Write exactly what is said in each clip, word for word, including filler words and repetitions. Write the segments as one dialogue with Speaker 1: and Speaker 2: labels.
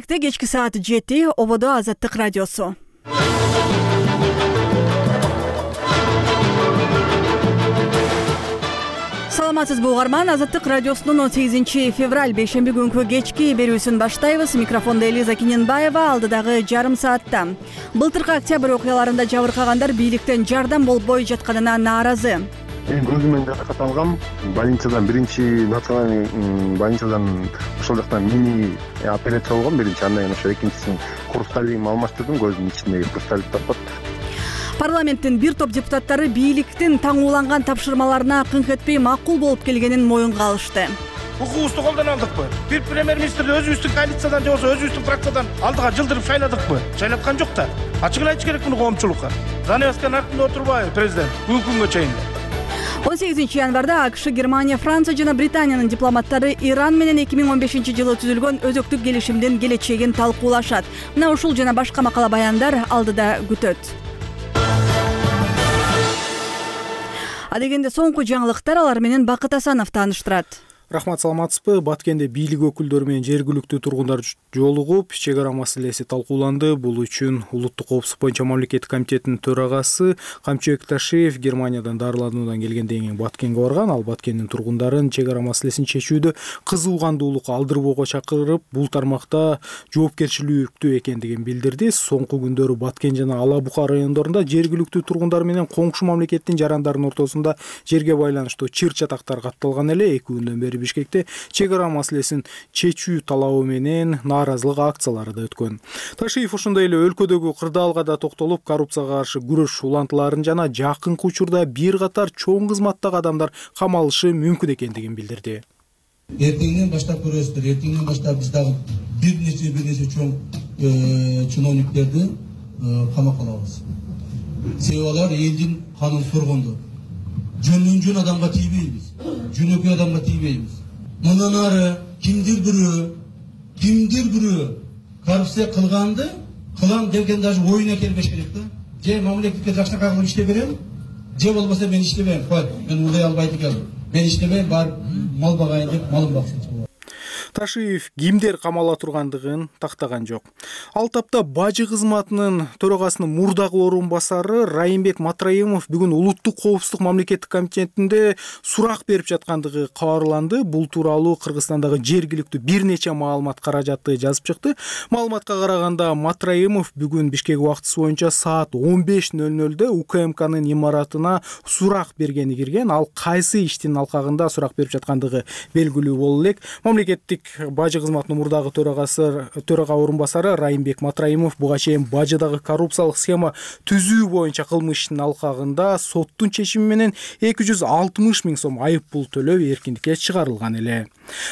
Speaker 1: Кечки саат жети ободо Азаттык радиосу. Саламатсызбы угарман, Азаттык радиосунун он сегизинчи февраль бейшемби күнкү кечки берүүсүн баштайбыз. Микрофондо Элиза Киненбаева. Алдыдагы жарым саатта былтыркы октябрь окуяларында жабыркагандар бийликтен жардам болбой жатканына нааразы.
Speaker 2: Мен өзүмөн жаракат алгам. Больницадан биринчи национальный больницадан ошол жактан мини операция болгон биринчи, андан кийин ошо экинчисин хрусталин алмаштырдым, көздүн ичиндеги хрусталин тапат.
Speaker 1: Парламенттин бир топ депутаттары бийликтин таңууланган тапшырмаларына кыңк этпей макул болуп келгенин моюнга алышты.
Speaker 3: Укугубузду колдон алдыкпы? Бир премьер-министрди өзүбүздүн коалициядан же болбосо өзүбүздүн фракциядан алдыга жылдырып шайладыкпы? Шайлаткан жок да. Ачыгын айтыш керек муну коомчулукка. Занавесканын артында отурбайбы президент бүгүнкү күнгө чейин?
Speaker 1: он сегизинчи январда АКШ, Германия, Франция жана Британиянын дипломаттары Иран менен эки миң он бешинчи жылы түзүлгөн өзөктүк келишимдин келечегин талкуулашат. Мына ушул жана башка макала баяндар алдыда күтөт. Адегенде соңку жаңылыктар, алар менен Бакыт Асанов тааныштырат.
Speaker 4: Рахмат, саламатсызбы? Баткенде бийлик өкүлдөрү менен жергиликтүү тургундар жолугуп, чек ара маселеси талкууланды. Бул үчүн Улуттук коопсуздук боюнча мамлекеттик комитеттин төрагасы Камчыбек Ташиев Германиядан дарылануудан келгенден кийин Баткенге барган. Ал Баткендин тургундарын чек ара маселесин чечүүдө кызуу кандуулукка алдырбоого чакырып, бул тармакта жоопкерчиликтүү экендигин билдирди. Соңку күндөрү Баткен жана Ала Бука райондорунда жергиликтүү тургундар менен коңшу мамлекеттин жарандардын ортосунда жерге байланыштуу чыр-чатактар катталган эле. Эки күндөн бери Бишкекте чек ара маселесин чечүү талабы менен нааразылык акциялары да өткөн. Ташиев ошондой эле өлкөдөгү кырдаалга да токтолуп, коррупцияга каршы күрөш улантыларын жана жакынкы учурда бир катар чоң кызматтагы адамдар камалышы мүмкүн экендигин билдирди.
Speaker 5: Эртеңден баштап көрөсүздөр, эртеңден баштап биз дагы бир нече бир нече чоң чиновниктерди камакка алабыз. Себеби алар элдин канын соргондор. Жөнүн жөн адамга тийбейбиз, жөнөкөй адамга тийбейбиз. Мындан ары кимдир бирөө, кимдир бирөө коррупция кылганды, кылам деген даже оюна келбеш керек да. Же мамлекетке жакшыраак кылып иштеп берем, же болбосо мен иштебейм. Кой, мен улай албайт экенмин. Мен иштебейм, бар мал багайын деп малым баксын.
Speaker 4: Ташиев кимдер камала тургандыгын тактаган жок. Ал тапта бажы кызматынын төрагасынын мурдагы орун басары Райымбек Матраимов бүгүн Улуттук коопсуздук мамлекеттик комитетинде сурак берип жаткандыгы кабарланды. Бул тууралуу Кыргызстандагы жергиликтүү бир нече маалымат каражаты жазып чыкты. Маалыматка караганда Матраимов бүгүн Бишкек убактысы боюнча саат он беш нөл нөлдө УКМКнын имаратына сурак бергени кирген. Ал кайсы иштин алкагында сурак берип жаткандыгы белгилүү боло элек. Мамлекеттик бажы кызматынын мурдагы төрагасы төрага орун басары Райымбек Матраимов буга чейин бажыдагы коррупциялык схема түзүү боюнча кылмыш иштин алкагында соттун чечими менен эки жүз алтымыш миң сом айып пул төлөө эркиндикке чыгарылган эле.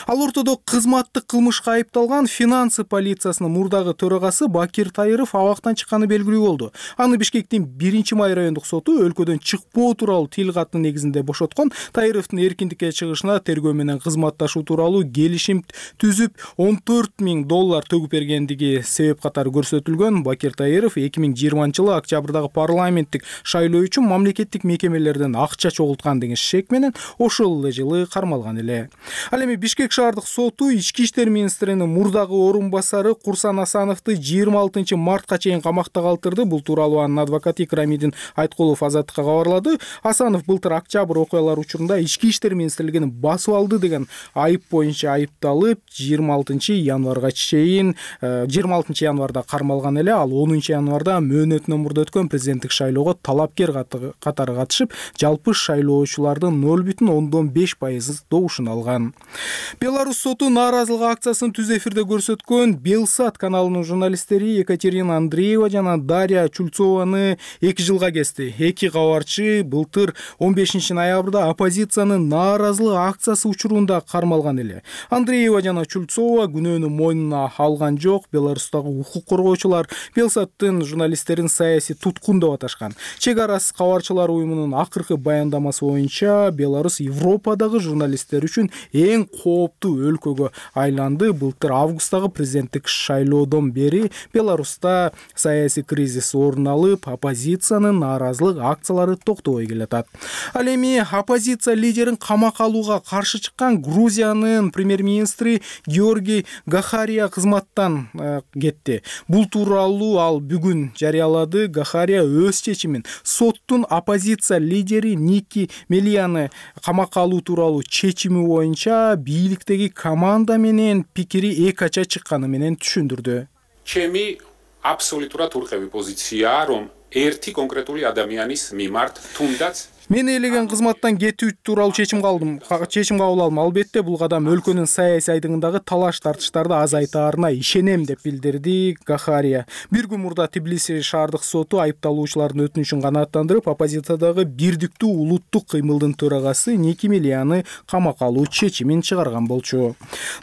Speaker 4: Ал ортодо кызматтык кылмышка айыпталган финансы полициясынын мурдагы төрагасы Бакир Тайыров абактан чыкканы белгилүү болду. Аны Бишкектин биринчи май райондук соту өлкөдөн чыкпоо тууралуу тил каттын негизинде бошоткон. Тайыровдун эркиндикке чыгышына тергөө менен кызматташуу тууралуу келишим түзүп он төрт миң доллар төгүп бергендиги себеп катары көрсөтүлгөн. Бакир Тайыров эки миң жыйырманчы жылы октябрдагы парламенттик шайлоо үчүн мамлекеттик мекемелерден акча чогулткан деген шек менен ошол эле жылы кармалган эле. Ал эми Бишкек шаардык соту ички иштер министринин мурдагы орун басары Курсан Асановду жыйырма алтынчы мартка чейин камакта калтырды. Бул тууралуу анын адвокаты Икрамидин Айткулов Азаттыкка кабарлады. Асанов былтыр октябрь окуялары учурунда ички иштер министрлигин басып алды деген айып боюнча айыпталып, жыйырма алтынчы январга чейин жыйырма алтынчы январда кармалган эле. Ал онунчу январда мөөнөтүнөн мурда өткөн президенттик шайлоого талапкер катары катышып, жалпы шайлоочулардын ноль бүтүн ондон беш пайыз добушун алган. Беларусь соту нааразылык акциясын түз эфирде көрсөткөн Белсат каналынын журналисттери Екатерина Андреева жана Дарья Чульцованы эки жылга кести. Эки кабарчы былтыр он бешинчи ноябрда оппозициянын нааразылык акциясы учурунда кармалган эле. Андреева жана Чульцова күнөөнү мойнуна алган жок. Беларустагы укук коргоочулар Белсаттын журналисттерин саясий туткун деп аташкан. Чек арасы кабарчылар уюмунун акыркы баяндамасы боюнча Беларусь Европадагы журналисттер үчүн эң кооптуу өлкөгө айланды. Былтыр августтагы президенттик шайлоодон бери Беларуста саясий кризис орун алып, оппозициянын нааразылык акциялары токтобой келатат. Ал эми оппозиция лидерин камакка алууга каршы чыккан Грузиянын премьер-министри министри Георгий Гахария кызматтан кетти. Бул тууралуу ал бүгүн жарыялады. Гахария өз чечимин соттун оппозиция лидери Ники Мелияны камакка алуу тууралуу чечими боюнча бийликтеги команда менен пикири эки ача чыкканы менен түшүндүрдү.
Speaker 6: Чеми абсолютურად ურყევი პოზიციაა, რომ ერთი კონკრეტული ადამიანის მიმართ თუნდაც
Speaker 4: Мен элеген кызматтан кетүү тууралуу чечим калдым. Чечим кабыл алдым. Албетте бул кадам өлкөнүн саясий айдыгындагы талаш тартыштарды азайтаарына ишенем деп билдирди Гахария. Бир күн мурда Тбилиси шаардык соту айыпталуучулардын өтүнүчүн канааттандырып, оппозициядагы бирдиктүү улуттук кыймылдын төрагасы Ники Мелияны камакка алуу чечимин чыгарган болчу.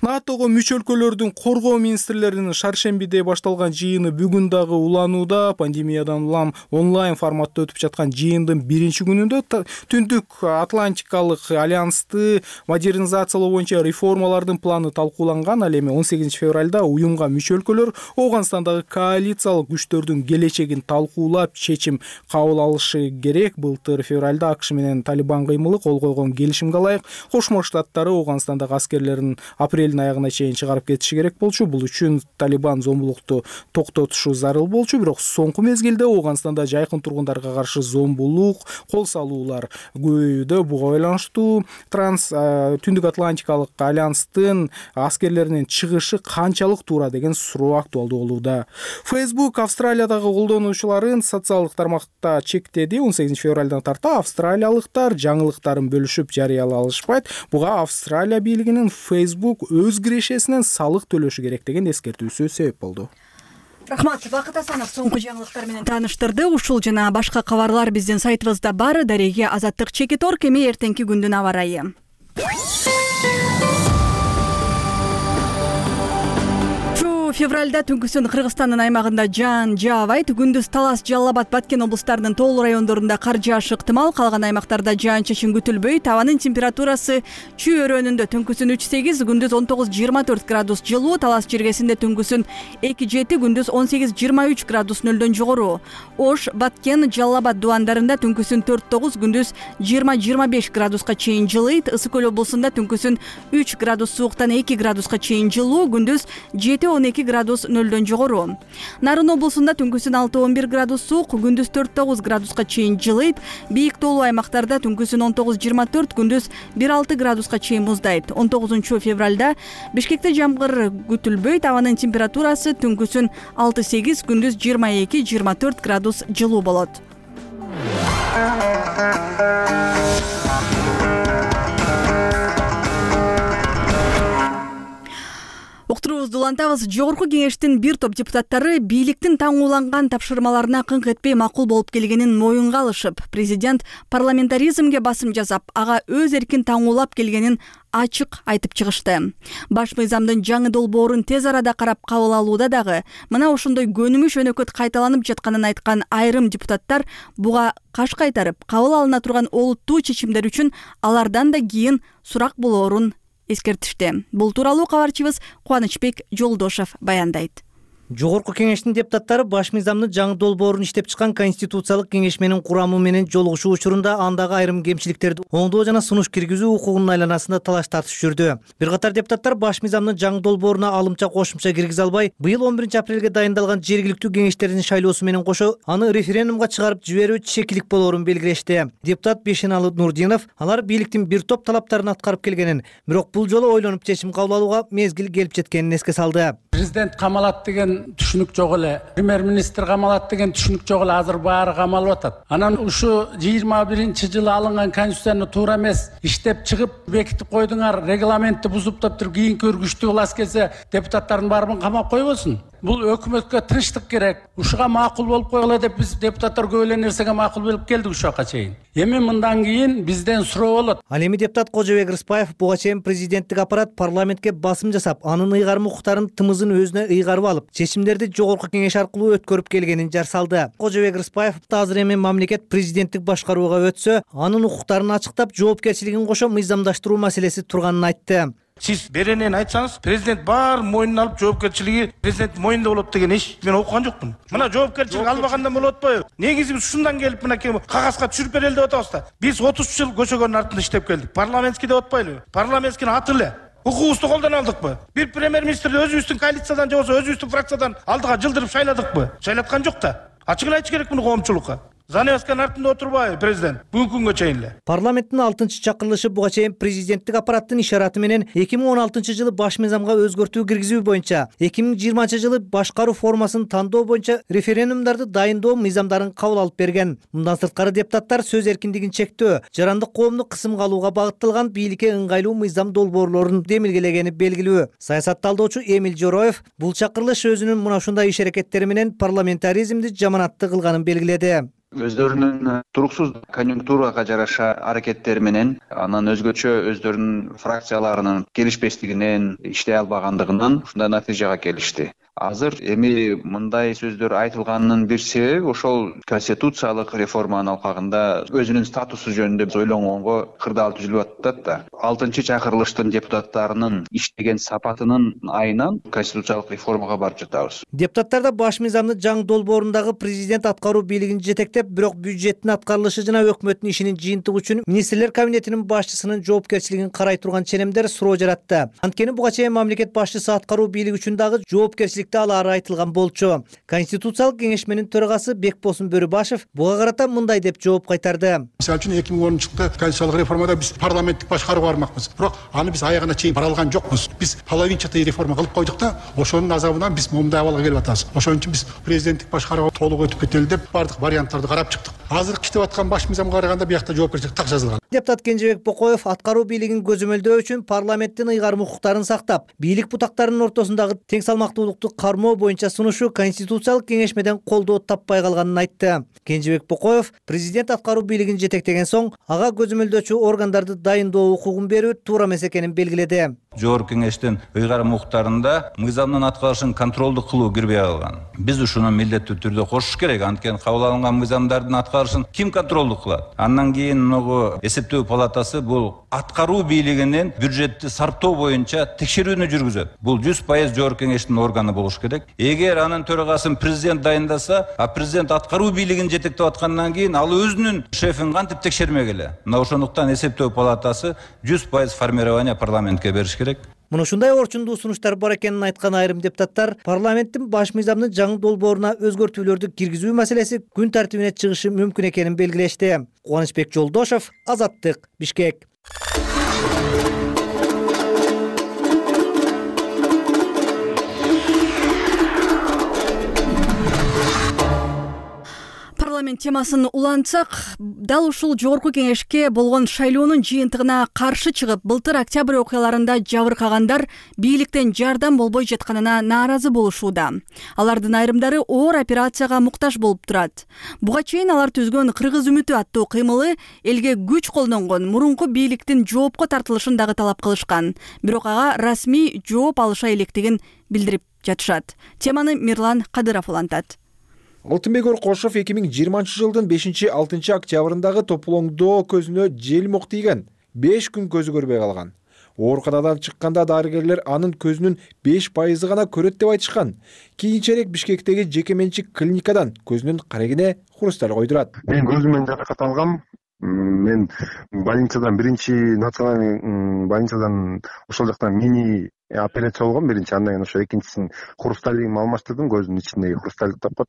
Speaker 4: НАТОго мүчө өлкөлөрдүн коргоо министрлеринин шаршембиде башталган жыйыны бүгүн дагы уланууда. Пандемиядан улам онлайн форматта өтүп жаткан жыйындын биринчи күнүндө Түндүк Атлантикалык альянсты модернизациялоо боюнча реформалардын планы талкууланган. Ал эми он сегизинчи февралда уюмга мүчө өлкөлөр Ооганстандагы коалициялык күчтөрдүн келечегин талкуулап чечим кабыл алышы керек. Былтыр февралда АКШ менен Талибан кыймылы кол койгон келишимге ылайык Кошмо Штаттары Ооганстандагы аскерлерин апрелдин аягына чейин чыгарып кетиши керек болчу. Бул үчүн Талибан зомбулукту токтотушу зарыл болчу. Бирок соңку мезгилде Ооганстанда жайкын тургундарга каршы зомбулук, кол салуу көбөйүүдө. Буга байланыштуу транс Түндүк Атлантикалык альянстын аскерлеринин чыгышы канчалык туура деген суроо актуалдуу болууда. Facebook Австралиядагы колдонуучуларын социалдык тармакта чектеди. он сегизинчи февралдан тарта австралиялыктар жаңылыктарын бөлүшүп жарыялай алышпайт. Буга Австралия бийлигинин Facebook өз кирешесинен салык төлөшү керек деген эскертүүсү себеп болду.
Speaker 1: Рахмат, Бакыт Асанов соңку жаңылыктар менен тааныштырды. Ушул жана башка кабарлар биздин сайтыбызда бар. Дареге Азаттык Чекитор, кеми эртеңки күндүн аба ырайы. Февралда түнкүсүн Кыргызстандын аймагында жаан жаабайт. Күндүз Талас, Жалал Абад, Баткен облустарынын тоолуу райондорунда кар жаашы ыктымал. Калган аймактарда жаан-чачын күтүлбөйт. Абанын температурасы Чүй өрөөнүндө түнкүсүн үч сегиз, күндүз он тогуз жыйырма төрт градус жылуу. Талас жергесинде түнкүсүн эки жети, күндүз он сегиз жыйырма үч градус нөлдөн жогору. Ош, Баткен, Жалал Абад дубандарында түнкүсүн төрт тогуз, күндүз жыйырма жыйырма беш градуска чейин жылыйт. Ысык көл облусунда түнкүсүн үч градус сууктан эки градуска чейин жылуу, күндүз жети он эки градус нөлдөн жогору. Нарын облусунда түнкүсүн алты он бир градус суук, күндүз төрт тогуз градуска чейин жылыйт. Бийик тоолуу аймактарда түнкүсүн он тогуз жыйырма төрт, күндүз бир алты градуска чейин муздайт. он тогузунчу февралда Бишкекте жамгыр күтүлбөйт. Абанын температурасы түнкүсүн алты сегиз, күндүз жыйырма эки жыйырма төрт градус жылуу болот. Уктуруубузду улантабыз. Жогорку кеңештин бир топ депутаттары бийликтин таңууланган тапшырмаларына кыңк этпей макул болуп келгенин моюнга алышып, президент парламентаризмге басым жасап, ага өз эркин таңуулап келгенин ачык айтып чыгышты. Баш мыйзамдын жаңы долбоорун тез арада карап кабыл алууда дагы мына ошондой көнүмүш өнөкөт кайталанып жатканын айткан айрым депутаттар буга каш кайтарып, кабыл алына турган олуттуу чечимдер үчүн алардан да кийин сурак болоорун эскертишти. Бул тууралуу кабарчыбыз Кубанычбек Жолдошов баяндайт.
Speaker 7: Жогорку кеңештин депутаттары баш мыйзамдын жаңы долбоорун иштеп чыккан Конституциялык кеңешменин курамы менен жолугушуу учурунда андагы айрым кемчиликтерди оңдоо жана сунуш киргизүү укугунун айланасында талаш тартыш жүрдү. Бир катар депутаттар баш мыйзамдын жаңы долбооруна алымча кошумча киргизе албай, быйыл он биринчи апрелге дайындалган жергиликтүү кеңештердин шайлоосу менен кошо аны референдумга чыгарып жиберүү чекилик болоорун белгилешти. Депутат Бешеналы Нурдинов алар бийликтин бир топ талаптарын аткарып келгенин, бирок бул жолу ойлонуп чечим кабыл алууга мезгил келип жеткенин эске салды.
Speaker 8: Президент камалат деген түшүнүк жок эле, премьер-министр камалат деген түшүнүк жок эле, азыр баары камалып атат. Анан ушу жыйырма биринчи жылы алынган конституцияны туура эмес иштеп чыгып бекитип койдуңар, регламентти бузуп туруп кийинки өргүчтүү класс келсе депутаттардын баарын камап койбосун. Бул өкмөткө тынчтык керек. Ушуга макул болуп койгула деп биз депутаттар көп эле нерсеге макул болуп келдик ушуга чейин. Эми мындан кийин бизден суроо болот.
Speaker 7: Ал эми депутат Кожобек Рыспаев буга чейин президенттик аппарат парламентке басым жасап, анын ыйгарым укуктарын тымызын өзүнө ыйгарып алып, чечимдерди жогорку кеңеш аркылуу өткөрүп келгенин жар салды. Кожобек Рыспаев азыр эми мамлекет президенттик башкарууга өтсө, анын укуктарын ачыктап, жоопкерчилигин кошо мыйзамдаштыруу маселеси турганын айтты.
Speaker 3: Сиз беренен айтсаңыз, президент бар мойнуна алып жоопкерчилиги президент мойнунда болот деген эч мен окуган жокмун. Мына жоопкерчилик албагандан болуп атпайбы? Негизи биз ушундан келип мына кагазга түшүрүп берели деп атабыз да. Биз отуз жыл көчөгөнүн артында иштеп келдик. Парламентский деп атпайлыбы? Парламентскийни аты эле Укугубузду колдон алдыкпы? Бир премьер министрди өзүбүздүн коалициядан же болбосо өзүбүздүн фракциядан алдыга жылдырып шайладыкпы? Шайлаткан жок да. Ачыгын айтыш керек муну коомчулукка. Занавесканын артында отурбайбы президент? Бүгүнкү күнгө чейин эле.
Speaker 7: Парламенттин алтынчы чакырылышы буга чейин президенттик аппараттын ишараты менен эки миң он алтынчы жылы баш мыйзамга өзгөртүү киргизүү боюнча, эки миң жыйырманчы жылы башкаруу формасын тандоо боюнча референдумдарды дайындоо мыйзамдарын кабыл алып берген. Мындан сырткары депутаттар сөз эркиндигин чектөө, жарандык коомду кысымга алууга багытталган бийликке ыңгайлуу мыйзам долбоорлорун демилгелегени белгилүү. Саясат талдоочу Эмил Жороев бул чакырылыш өзүнүн мына ушундай иш аракеттери менен парламентаризмди жаманаттуу кылганын белгиледи.
Speaker 9: Өздөрүнүн туруксуз конъюнктурага жараша аракеттери менен, анан өзгөчө өздөрүнүн фракцияларынын келишпестигинен, иштей албагандыгынан ушундай натыйжага келишти. Азыр эми мындай сөздөр айтылганынын бир себеби ошол конституциялык реформанын алкагында өзүнүн статусу жөнүндө ойлонгонго кырдаал түзүлүп атат да. алтынчы чакырылыштын депутаттарынын иштеген сапатынын айынан конституциялык реформага барып жатабыз.
Speaker 7: Депутаттар да баш мыйзамдын жаңы долбоорундагы президент аткаруу бийлигин жетектеп, бирок бюджеттин аткарылышы жана өкмөттүн ишинин жыйынтыгы үчүн министрлер кабинетинин башчысынын жоопкерчилигин карай турган ченемдер суроо жаратты. Анткени буга чейин мамлекет башчысы аткаруу бийлиги үчүн дагы жоопкерчилик алары айтылган болчу. Конституциялык кеңешменин төрагасы Бекбосун Бөрүбашев буга карата мындай деп жооп кайтарды.
Speaker 10: Мисалы үчүн эки миң онунчу жылкы конституциялык реформада биз парламенттик башкарууга бармакпыз. Бирок аны биз аягына чейин бара алган жокпуз. Биз половинчатый реформа кылып койдук да, ошонун азабынан биз момундай абалга келип атабыз. Ошон үчүн биз президенттик башкарууга толук өтүп кетели деп бардык варианттарды карап чыктык. Азыркы иштеп аткан баш мыйзамга караганда биякта жоопкерчилик так жазылган.
Speaker 7: Депутат Кенжебек Бокоев аткаруу бийлигин көзөмөлдөө үчүн парламенттин ыйгарым укуктарын сактап, бийлик бутактарынын ортосундагы тең салмактуулукту кармоо боюнча сунушу конституциялык кеңешмеден колдоо таппай калганын айтты. Кенжебек Бокоев президент аткаруу бийлигин жетектеген соң ага көзөмөлдөөчү органдарды дайындоо укугун берүү туура эмес экенин белгиледи.
Speaker 11: Жогорку кеңештин ыйгарым укуктарында мыйзамдын аткарышын контролдук кылуу кирбей калган. Биз ушуну милдеттүү түрдө кошуш керек. Анткени кабыл алынган мыйзамдардын аткарышын ким контролдук кылат? Андан кийин могу эсептөө палатасы бул аткаруу бийлигинин бюджетти сарптоо боюнча текшерүүнү жүргүзөт. Бул жүз пайыз жогорку кеңештин органы болуш керек. Эгер анын төрагасын президент дайындаса, а президент аткаруу бийлигин жетектеп аткандан кийин ал өзүнүн шефин кантип текшермек эле? Мына ошондуктан эсептөө палатасы жүз пайыз формирование парламентке бериш керек.
Speaker 7: Мына ушундай орчундуу сунуштар бар экенин айткан айрым депутаттар парламенттин баш мыйзамдын жаңы долбооруна өзгөртүүлөрдү киргизүү маселеси күн тартибине чыгышы мүмкүн экенин белгилешти. Кубанычбек Жолдошов, Азаттык, Бишкек.
Speaker 1: Парламент темасын улантсак, дал ушул жогорку кеңешке болгон шайлоонун жыйынтыгына каршы чыгып, былтыр октябрь окуяларында жабыркагандар бийликтен жардам болбой жатканына нааразы болушууда. Алардын айрымдары оор операцияга муктаж болуп турат. Буга чейин алар түзгөн Кыргыз үмүтү аттуу кыймылы элге күч колдонгон мурунку бийликтин жоопко тартылышын дагы талап кылышкан. Бирок ага расмий жооп алыша электигин билдирип жатышат. Теманы Мирлан Кадыров улантат.
Speaker 12: Алтынбек Оркошов эки миң жыйырманчы жылдын бешинчи алтынчы октябрындагы тополоңдоо көзүнө желмок тийген. беш күн көзү көрбөй калган. Ооруканадан чыкканда дарыгерлер анын көзүнүн беш пайызы гана көрөт деп айтышкан. Кийинчерээк Бишкектеги жеке менчик клиникадан көзүнүн карегине хрусталь койдурат.
Speaker 2: Мен көзүмөн жаракат алгам. Мен больницадан биринчи национальный больницадан ошол жактан мини операция болгон биринчи, андан кийин ошо экинчисин хрусталигин алмаштырдым, көзүмдүн ичиндеги хрусталь тапкат.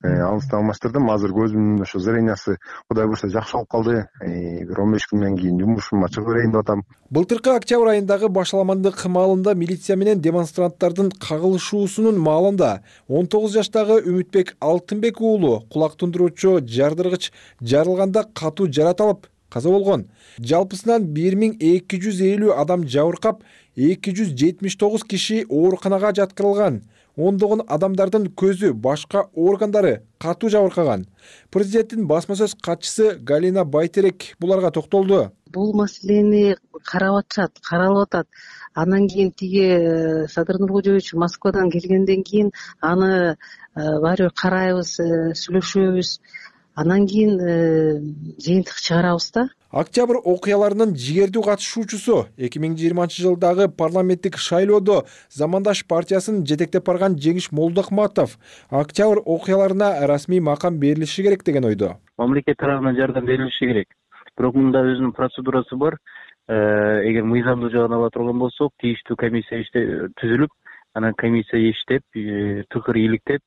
Speaker 2: Алысты алмаштырдым. Азыр көзүмдүн ошо зрениясы Кудай буйрса жакшы болуп калды. Бир он беш күндөн кийин жумушума чыгып берейин деп атам.
Speaker 12: Былтыркы октябрь айындагы башаламандык маалында милиция менен демонстранттардын кагылышуусунун маалында он тогуз жаштагы Үмүтбек Алтынбек уулу кулак тундуруучу жардыргыч жарылганда катуу жарат алып каза болгон. Жалпысынан бир миң эки жүз элүү адам жабыркап, эки жүз жетимиш тогуз киши ооруканага жаткырылган. Ондогон адамдардын көзү, башка органдары катуу жабыркаган. Президенттин басма сөз катчысы Галина Байтерек буларга токтолду.
Speaker 13: Бул маселени карап атышат, каралып атат. Андан кийин тиги Садыр Нуркожоевич Москвадан келгенден кийин аны баары карайбыз, сүйлөшөбүз. Андан кийин жыйынтык чыгарабыз да.
Speaker 12: Октябрь окуяларынын жигердүү катышуучусу эки миң жыйырманчы жылдагы парламенттик шайлоодо Замандаш партиясын жетектеп барган Жеңиш Молдохматов октябрь окуяларына расмий макам берилиши керек деген ойдо.
Speaker 14: Мамлекет тарабынан жардам берилиши керек. Бирок мында өзүнүн процедурасы бар. эгер мыйзамдуу жагын ала турган болсок, тийиштүү комиссия түзүлүп, анан комиссия иштеп, тыкыр иликтеп,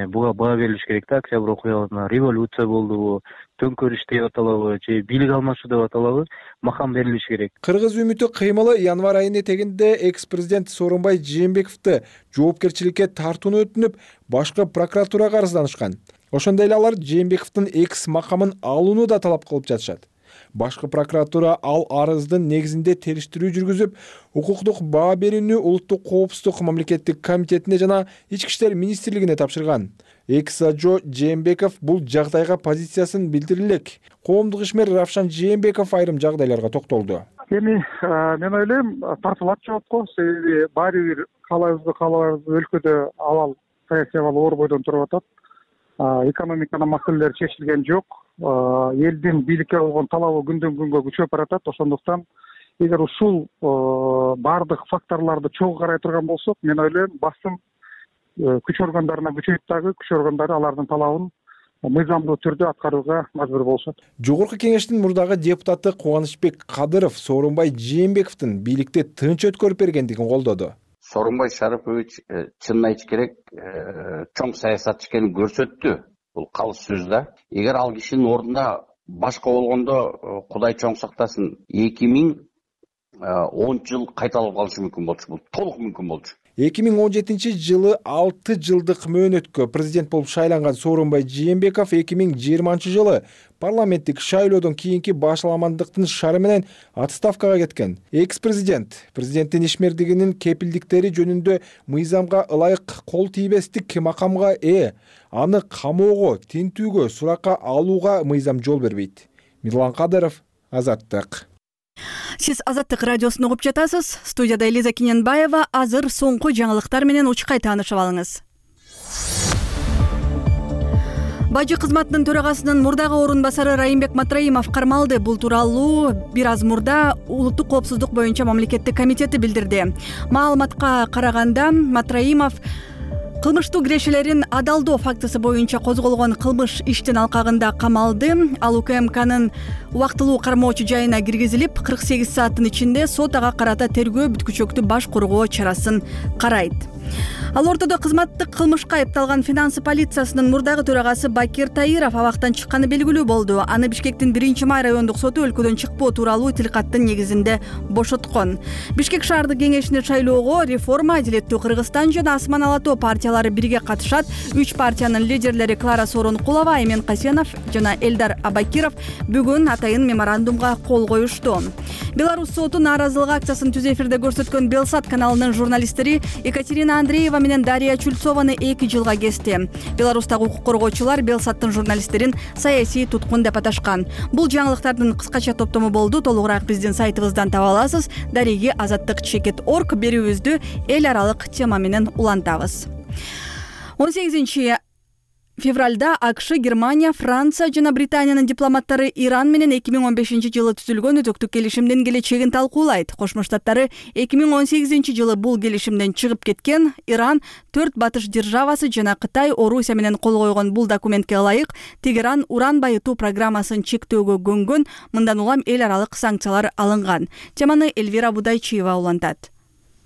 Speaker 14: буга баа берилиш керек да. Октябрь окуяларына революция болдубу, төңкөрүш деп аталабы же бийлик алмашуу деп аталабы, макам берилиш керек.
Speaker 12: Кыргыз үмүтү кыймылы январь айынын этегинде экс-президент Сооронбай Жээнбековду жоопкерчиликке тартууну өтүнүп, башкы прокуратурага арызданышкан. Ошондой эле алар Жээнбековдун экс макамын алууну да талап кылып жатышат. Башкы прокуратура ал арыздын негизинде териштирүү жүргүзүп, укуктук баа берүүнү Улуттук коопсуздук мамлекеттик комитетине жана Ички иштер министрлигине тапшырган. Экс-ажо Жээнбеков бул жагдайга позициясын билдире элек. Коомдук ишмер Равшан Жээнбеков айрым жагдайларга токтолду.
Speaker 15: Эми мен ойлойм, тартылат жоопко, себеби баары бир каалайбызбы каалабайбызбы өлкөдө абал саясий абал оор бойдон туруп атат. Экономиканын маселелери чечилген жок. Элдин бийликке болгон талабы күндөн күнгө күчөп баратат. Ошондуктан эгер ушул баардык факторлорду чогуу карай турган болсок, мен ойлойм, басым күч органдарына күчөйт дагы, күч органдары алардын талабын мыйзамдуу түрдө аткарууга мажбур болушат.
Speaker 12: Жогорку кеңештин мурдагы депутаты Кубанычбек Кадыров Сооронбай Жээнбековдун бийликти тынч өткөрүп бергендигин колдоду.
Speaker 16: Сооронбай Шарипович чынын айтыш керек, чоң саясатчы экенин көрсөттү. Бул калыс сөз да. Эгер ал кишинин ордунда башка болгондо, Кудай чоң сактасын, эки миң онунчу жыл кайталап калышы мүмкүн болчу. Бул толук мүмкүн болчу.
Speaker 12: эки миң он жетинчи жылы алты жылдык мөөнөткө президент болуп шайланган Сооронбай Жээнбеков эки миң жыйырманчы жылы парламенттик шайлоодон кийинки башаламандыктын шары менен отставкага кеткен. Экс-президент президенттин ишмердигинин кепилдиктери жөнүндө мыйзамга ылайык кол тийбестик макамга ээ. Аны камоого, тинтүүгө, суракка алууга мыйзам жол бербейт. Мирлан Кадыров, Азаттык.
Speaker 1: Сиз Азаттык радиосун угуп жатасыз. Студияда Элиза Киненбаева. Азыр соңку жаңылыктар менен учкай таанышып алыңыз. Бажы кызматынын төрагасынын мурдагы орун басары Райымбек Матраимов кармалды. Бул тууралуу бир аз мурда Улуттук коопсуздук боюнча мамлекеттик комитети билдирди. Маалыматка караганда Матраимов кылмыштуу кирешелерин адалдоо фактысы боюнча козголгон кылмыш иштин алкагында камалды. Ал УКМКнын убактылуу кармоочу жайына киргизилип, кырк сегиз сааттын ичинде сот ага карата тергөө бүткүчөктү баш коргоо чарасын карайт. Ал ортодо кызматтык кылмышка айыпталган финансы полициясынын мурдагы төрагасы Бакир Таиров абактан чыкканы белгилүү болду. Аны Бишкектин биринчи май райондук соту өлкөдөн чыкпоо тууралуу тилкаттын негизинде бошоткон. Бишкек шаардык кеңешине шайлоого Реформа, Адилеттүү Кыргызстан жана Асман Ала Тоо партиялары бирге катышат. Үч партиянын лидерлери Клара Сооронкулова, Аймен Касенов жана Элдар Абакиров бүгүн атайын меморандумга кол коюшту. Беларусь соту нааразылык акциясын түз эфирде көрсөткөн Белсат каналынын журналисттери Екатерина Андреева менен Дарья Чульцованы эки жылга кести. Беларустагы укук коргоочулар Белсаттын журналисттерин саясий туткун деп аташкан. Бул жаңылыктардын кыскача топтому болду. Толугураак биздин сайтыбыздан таба аласыз. Дареги азаттык чекит орг берүүбүздү эл аралык тема менен улантабыз. он сегизинчи февралда АКШ, Германия, Франция жана Британиянын дипломаттары Иран менен эки миң он бешинчи жылы түзүлгөн өзөктүк келишимдин келечегин талкуулайт. Кошмо Штаттары эки миң он сегизинчи жылы бул келишимден чыгып кеткен. Иран, төрт батыш державасы жана Кытай, Орусия менен кол койгон бул документке ылайык Тегеран уран байытуу программасын чектөөгө көнгөн. Мындан улам эл аралык санкциялар алынган. Теманы Эльвира Будайчиева улантат.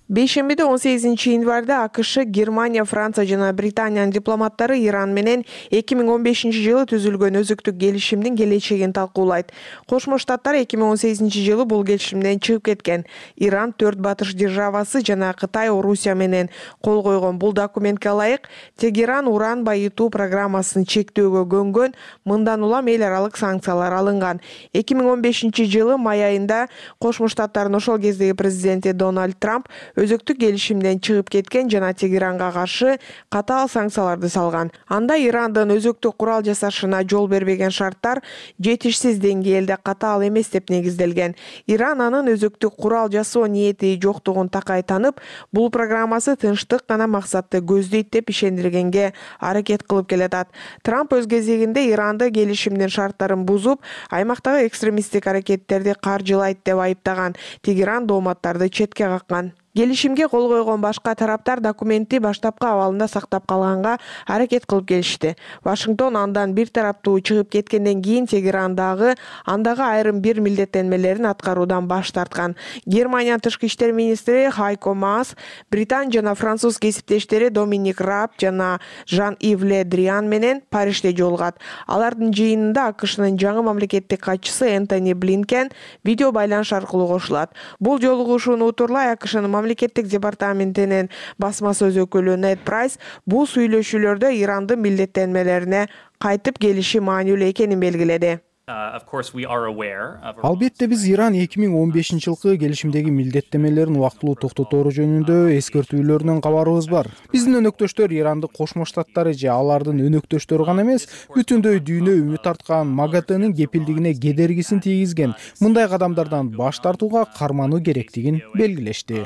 Speaker 17: Бейшембиде он сегизинчи январда АКШ, Германия, Франция жана Британиянын дипломаттары Иран менен эки миң он бешинчи жылы түзүлгөн өзөктүк келишимдин келечегин талкуулайт. Кошмо Штаттар эки миң он сегизинчи жылы бул келишимден чыгып кеткен. Иран, төрт батыш державасы жана Кытай, Орусия менен кол койгон бул документке ылайык Тегеран уран байытуу программасын чектөөгө көнгөн. Мындан улам эл аралык санкциялар алынган. эки миң он бешинчи жылы май айында Кошмо Штаттардын ошол кездеги президенти Дональд Трамп өзөктүк келишимден чыгып кеткен жана Тегеранга каршы катаал санкцияларды салган. Анда Ирандын өзөктүк курал жасашына жол бербеген шарттар жетишсиз деңгээлде катаал эмес деп негизделген. Иран анын өзөктүк курал жасоо ниети жоктугун такай танып, бул программасы тынчтык гана максатты көздөйт деп ишендиргенге аракет кылып келатат. Трамп өз кезегинде Иранды келишимдин шарттарын бузуп, аймактагы экстремисттик аракеттерди каржылайт деп айыптаган. Тегеран дооматтарды четке каккан. Келишимге кол койгон башка тараптар документти баштапкы абалында сактап калганга аракет кылып келишти. Вашингтон андан бир тараптуу чыгып кеткенден кийин Тегерандагы андагы айрым бир милдеттенмелерин аткаруудан баш тарткан. Германия тышкы иштер министри Хайко Маас, Британ жана француз кесиптештери Доминик Раб жана Жан-Ив Ле Дриан менен Парижде жолугат. Алардын жыйынында АКШнын жаңы мамлекеттик катчысы Энтони Блинкен видео байланыш аркылуу кошулат. Бул жолугушууну утурлай АКШнын мамлекеттик департаментинин басма сөз өкүлү Нед Прайс бул сүйлөшүүлөрдө Ирандын милдеттенмелерине кайтып келиши маанилүү экенин белгиледи.
Speaker 4: Албетте биз Иран эки миң он бешинчи жылкы келишимдеги милдеттенмелерин убактылуу токтотору жөнүндө эскертүүлөрүнөн кабарыбыз бар. Биздин өнөктөштөр Иранды Кошмо Штаттары же алардын өнөктөштөрү гана эмес, бүтүндөй дүйнө үмүт арткан МАГАТынын кепилдигине кедергисин тийгизген мындай кадамдардан баш тартууга кармануу керектигин белгилешти.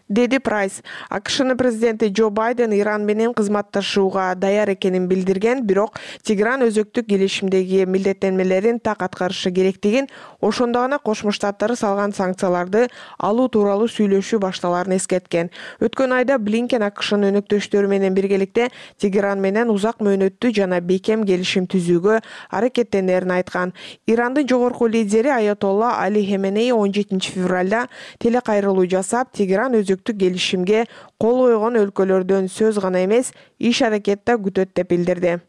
Speaker 17: Деди Прайс. АКШнын президенти Джо Байден Иран менен кызматташууга даяр экенин билдирген, бирок Тегеран өзөктүк келишимдеги милдеттенмелер так аткарышы керектигин, ошондо гана Кошмо Штаттары салган санкцияларды алуу тууралуу сүйлөшүү башталарын эскерткен. Өткөн айда Блинкен АКШнын өнөктөштөрү менен биргеликте Тегеран менен узак мөөнөттүү жана бекем келишим түзүүгө аракеттенерин айткан. Ирандын жогорку лидери Аятолла Али Хаменеи он жетинчи февралда телекайрылуу жасап, Тегеран өзөктүк келишимге кол койгон өлкөлөрдөн сөз гана эмес, иш аракет да күтөт деп билдирди.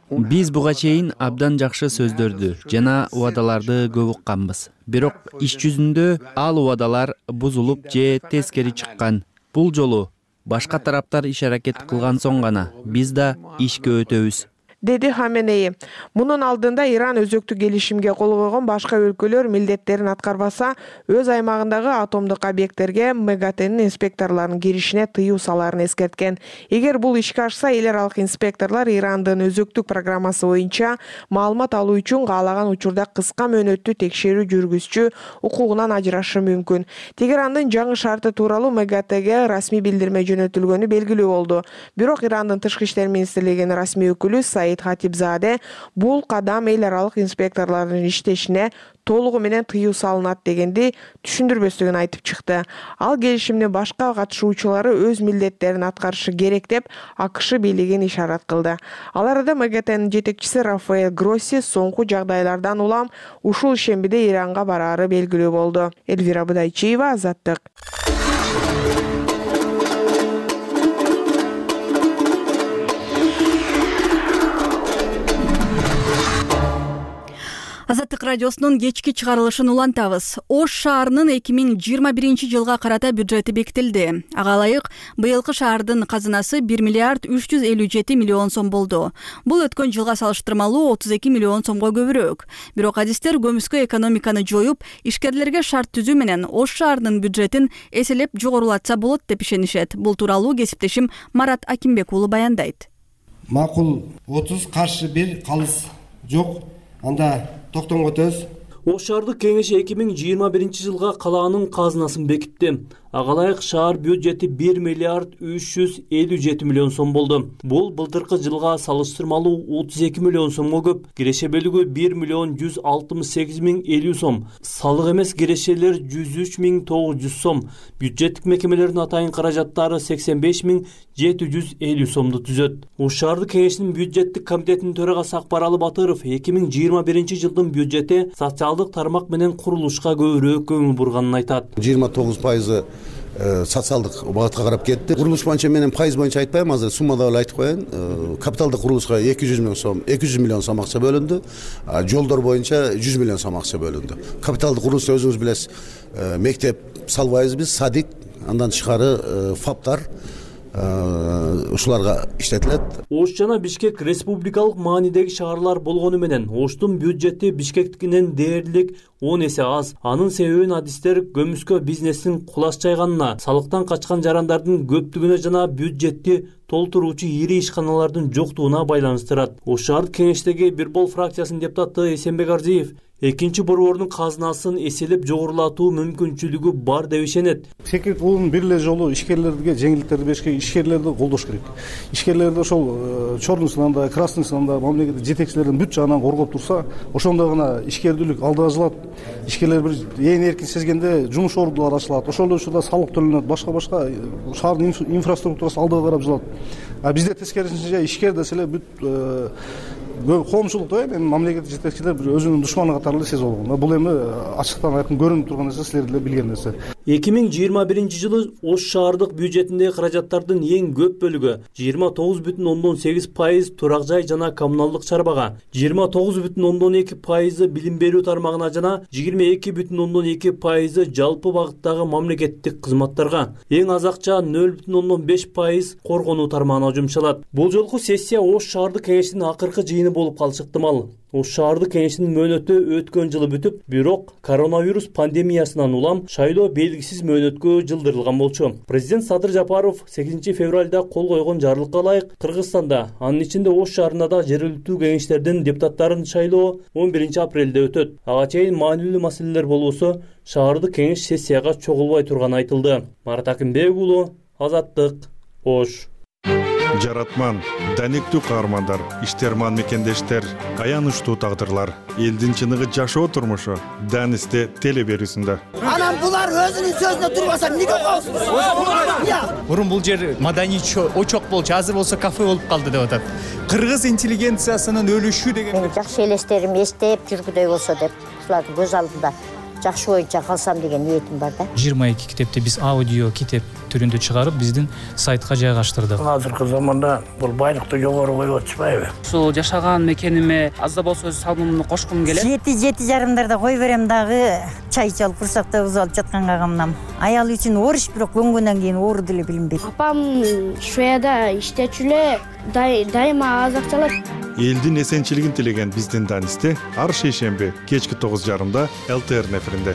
Speaker 18: Биз буга чейин абдан жакшы сөздөрдү жана убадаларды көп укканбыз. Бирок иш жүзүндө ал убадалар бузулуп же тескери чыккан. Бул жолу башка тараптар иш аракет кылган соң гана биз да ишке өтөбүз,
Speaker 17: деди Хаменеи. Мунун алдында Иран өзөктүк келишимге кол койгон башка өлкөлөр милдеттерин аткарбаса, өз аймагындагы атомдук объекттерге МАГАТынын инспекторлорунун киришине тыюу саларын эскерткен. Эгер бул ишке ашса, эл аралык инспекторлор Ирандын өзөктүк программасы боюнча маалымат алуу үчүн каалаган учурда кыска мөөнөттүү текшерүү жүргүзчү укугунан ажырашы мүмкүн. Тегерандын жаңы шарты тууралуу МАГАТга расмий билдирме жөнөтүлгөнү белгилүү болду. Бирок Ирандын тышкы иштер министрлигинин расмий өкүлү Саид Хатибзаде бул кадам эл аралык инспекторлордун иштешине толугу менен тыюу салынат дегенди түшүндүрбөстүгүн айтып чыкты. Ал келишимдин башка катышуучулары өз милдеттерин аткарышы керек деп АКШ бийлигин ишарат кылды. Ал арада МАГАТынын жетекчиси Рафаэль Гросси соңку жагдайлардан улам ушул ишембиде Иранга бараары белгилүү болду. Элвира Будайчиева, Азаттык.
Speaker 1: Азаттык радиосунун кечки чыгарылышын улантабыз. Ош шаарынын эки миң жыйырма биринчи жылга карата бюджети бекитилди. Ага ылайык быйылкы шаардын казынасы бир миллиард үч жүз элүү жети миллион сом болду. Бул өткөн жылга салыштырмалуу отуз эки миллион сомго көбүрөөк. Бирок адистер көмүскө экономиканы жоюп, ишкерлерге шарт түзүү менен Ош шаарынын бюджетин эселеп жогорулатса болот деп ишенишет. Бул тууралуу кесиптешим Марат Акимбек уулу баяндайт.
Speaker 19: Макул отуз каршы бир калыс жок. Анда токтомго төз.
Speaker 20: Ош шаардык кеңеши эки миң жыйырма биринчи жылга калаанын казынасын бекитти. Ага ылайык шаар бюджети бир миллиард үч жүз элүү жети миллион сом болду. Бул былтыркы жылга салыштырмалуу отуз эки миллион сомго көп. Киреше бөлүгү бир миллион жүз алтымыш сегиз миң элүү сом. Салык эмес кирешелер жүз үч миң тогуз жүз сом. Бюджеттик мекемелердин атайын каражаттары сексен беш миң жети жүз элүү сомду түзөт. Ош шаардык кеңешинин бюджеттик комитетинин төрагасы Акбаралы Батыров эки миң жыйырма биринчи жылдын бюджети социалдык тармак менен курулушка көбүрөөк көңүл бурганын айтат.
Speaker 21: жыйырма тогуз пайызы социалдык багытка карап кетти. Курулуш боюнча менен пайыз боюнча айтпайм, азыр суммада эле айтып коеюн. Капиталдык курулушка эки жүз миң сом, эки жүз миллион сом акча бөлүндү. Жолдор боюнча жүз миллион сом акча бөлүндү. Капиталдык курулушта өзүңүз билесиз, мектеп салбайбыз биз, садик, андан тышкары фаптар ушуларга иштетилет.
Speaker 20: Ош жана Бишкек республикалык маанидеги шаарлар болгону менен Оштун бюджети Бишкектикинен дээрлик он эсе аз. Анын себебин адистер көмүскө бизнестин кулаш жайганына, салыктан качкан жарандардын көптүгүнө жана бюджетти толтуруучу ири ишканалардын жоктугуна байланыштырат. Ош шаардык кеңештеги Бир Бол фракциясынын депутаты Эсенбек Арзиев экинчи борбордун казынасын эселеп жогорулатуу мүмкүнчүлүгү бар деп ишенет.
Speaker 5: Секрет бул бир эле жолу ишкерлерге жеңилдиктерди беришке, ишкерлерди колдош керек. Ишкерлерди ошол черный сынанда, красный сынанда мамлекеттик жетекчилердин бүт жагынан коргоп турса, ошондо гана ишкердүүлүк алда жылат. Ишкерлер бир ээн эркин сезгенде жумуш ордулары ачылат. Ошол эле учурда салык төлөнөт, башка-башка шаардын инфраструктурасы алдыга карап жылат. А бизде тескерисинче ишкер десе эле бүт коомчулукта эми мамлекеттик жетекчилер бир өзүнүн душманы катары эле сезип алган. Бул эми ачыктан айкын көрүнүп турган нерсе, силер деле билген нерсе.
Speaker 20: эки миң жыйырма биринчи жылы Ош шаардык бюджетиндеги каражаттардын эң көп бөлүгү жыйырма тогуз бүтүн ондон сегиз пайыз турак жай жана коммуналдык чарбага, жыйырма тогуз бүтүн ондон эки пайызы билим берүү тармагына жана жыйырма эки бүтүн ондон эки пайызы жалпы багыттагы мамлекеттик кызматтарга, эң аз акча нөл бүтүн ондон беш пайыз коргонуу тармагына жумшалат. Бул жолку сессия Ош шаардык кеңешинин акыркы жыйыны болуп калышы ыктымал. Ош шаардык кеңешинин мөөнөтү өткөн жылы бүтүп, бирок коронавирус пандемиясынан улам шайлоо белгисиз мөөнөткө жылдырылган болчу. Президент Садыр Жапаров сегизинчи февралда кол койгон жарлыкка ылайык Кыргызстанда, анын ичинде Ош шаарында да жергиликтүү кеңештердин депутаттарын шайлоо он биринчи апрелде өтөт. Ага чейин маанилүү маселелер болбосо, шаардык кеңеш сессияга чогулбай турганы айтылды. Марат Акимбек уулу, Азаттык, Ош.
Speaker 22: Жаратман, даниктүү каармандар, иштерман мекендештер, аянычтуу тагдырлар, элдин чыныгы жашоо турмушу Данисте теле берүүсүндө.
Speaker 23: Анан булар өзүнүн сөзүнө турбаса эмнеге коесуз?
Speaker 24: Мурун бул жер маданий очок болчу, азыр болсо кафе болуп калды деп атат. Кыргыз интеллигенциясынын өлүшү деген.
Speaker 25: Жакшы элестерим эстеп жүргүдөй болсо деп, ушулардын көз алдында жакшы боюнча калсам деген ниетим бар да.
Speaker 26: жыйырма эки китепти биз аудио китеп түрүндө чыгарып, биздин сайтка жайгаштырдык.
Speaker 27: Азыркы заманда бул байлыкты жогору коюп атышпайбы?
Speaker 28: Ушул жашаган мекениме аз да болсо өз салымымды кошкум келет.
Speaker 25: Жети жети жарымдарда кой берем дагы, чай ичип курсакта бузуп алып жатканга камнам. Аял үчүн ориш, бирок көнгөндөн кийин оору деле билинбейт.
Speaker 29: Апам Шведияда иштечү эле, дайыма аз акча алат.
Speaker 22: Элдин эсенчилигин тилеген биздин Данисте ар шейшемби кечки тогуз жарымда эл тэ эр эфиринде.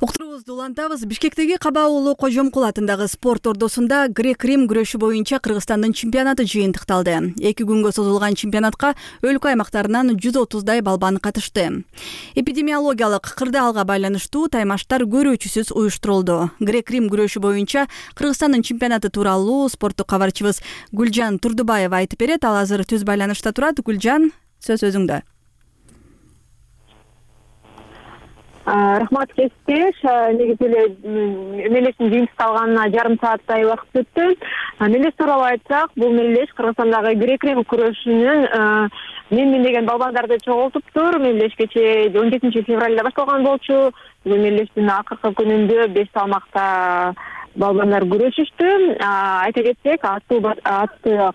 Speaker 1: Уктуруубузду улантабыз. Бишкектеги Каба уулу Кожомкул атындагы спорт ордосунда грек-рим күрөшү боюнча Кыргызстандын чемпионаты жыйынтыкталды. Эки күнгө созулган чемпионатка өлкө аймактарынан жүз отуздай балбан катышты. Эпидемиологиялык кырдаалга байланыштуу таймаштар көрүүчүсүз уюштурулду. Грек-рим күрөшү боюнча Кыргызстандын чемпионаты тууралуу спорттук кабарчыбыз Гүлжан Турдубаева айтып берет. Ал азыр түз байланышта турат. Гүлжан, сөз өзүңдө.
Speaker 30: Рахмат кесиптеш. Негизи эле мелештин жыйынтыкталганына жарым сааттай убакыт өттү. Мелеш тууралуу айтсак, бул мелеш Кыргызстандагы грек-рим күрөшүнүн мен деген балбандарды чогултуптур. Мелеш кечээ он жетинчи февралда башталган болчу. Бул мелештин акыркы күнүндө беш салмакта балбандар күрөшүштү. Айта кетсек, аты